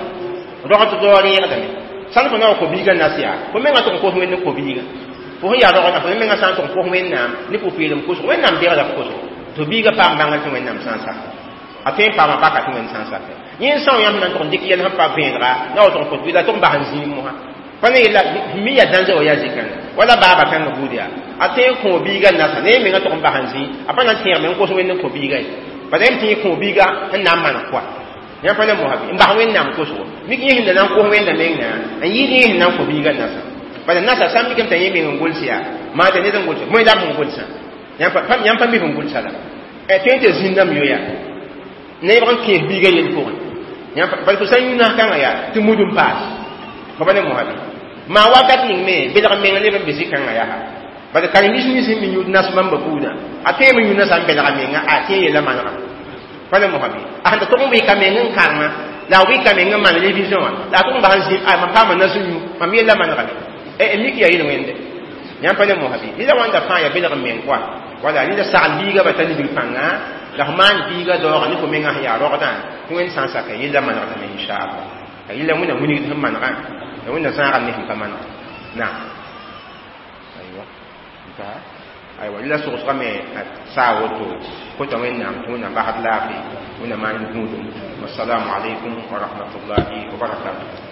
rogd dao reegdame sãn fo na wa ko-biigã nas yaa fo menga tʋg n kos Wẽnd n ko-biiga fo sẽn yaa rogdã fo menga sã n tʋg n kos Wẽnnaam ne pʋ-peelem kosg Wẽnnaam deegda f kosgo tɩ biigã paam bãngr tɩ Wẽnnaam sã n sak a tõe n paama baka tɩ Wẽnd sã n sake yẽ n são yãmb na n tʋg n dɩk yɛl sẽn pa vẽenega na wa tʋg n kos la tʋg n bas n zĩig mosã pa ne yella mi yaa dãnze wa yaa zĩ-kãngã wala baaba kãngã buud yaa a tõe n kõ biigã nasa ne menga tʋg n bas n zĩ a pa na n tẽegme n kos Wẽnd n kõ biigã ye bala yãmb tɩ yẽ kõ biigã sẽn na n maneg pʋa yãmb pa ne mosã bɩ n bas Wẽnnaam kosgo mik yẽ sẽn da na n kos Wẽnda mengã n yɩɩd yẽ sẽn na n kõ biigã nasa bala nasa sã n mikame t'a yẽ meng n gʋls yaa maa t'a ned n gʋlsa bõe la b sẽn gʋlsã yãmb pa mi sẽn gʋlsa la tõe n tɩ zĩnname yoya nebg n kẽes biigã yel pʋgẽ bala fo sã n yũ nas kãngã yaa tɩ mud n paas fo pa ne mosã bɩ maa wakat ning me belg meng neb n be zĩ-kãngã yaa bala karen-biis nins sẽn mi yũud nas bãmba buudã a tõeme yũ nasã n belga menga a tẽ yella manega Pa ne mosã bɩ a sẽn ta tʋg n wɩka meng n karema, la a wɩka meng n maan révision wã, la a tʋg n bas n zĩ a mam paama nas n yũ mam yella manegame. Mik yaa yel-wẽnde yãmb pa ne mosã bɩ rɩla wãnda fãa yaa belg n meng koa. Wala rɩla sagl biiga ba t'a libg pãnga, la f maan biiga daooga ne fo mengã sẽn yaa rogdã tɩ Wẽnd sã n saka yella manegdame, inchallah. La yella Wẽnna wilgd sẽn manegã, la Wẽnna zãagd ne sẽn pa maneg. Naam, aywa, aywa, rɩla sogsgame saa woto kota Wẽnnaam tɩ Wẽnnaam basd laafɩ, Wẽnnaam maan gũudum. Wasalaamu alaikum wa rahmatullahi wa barakatuh.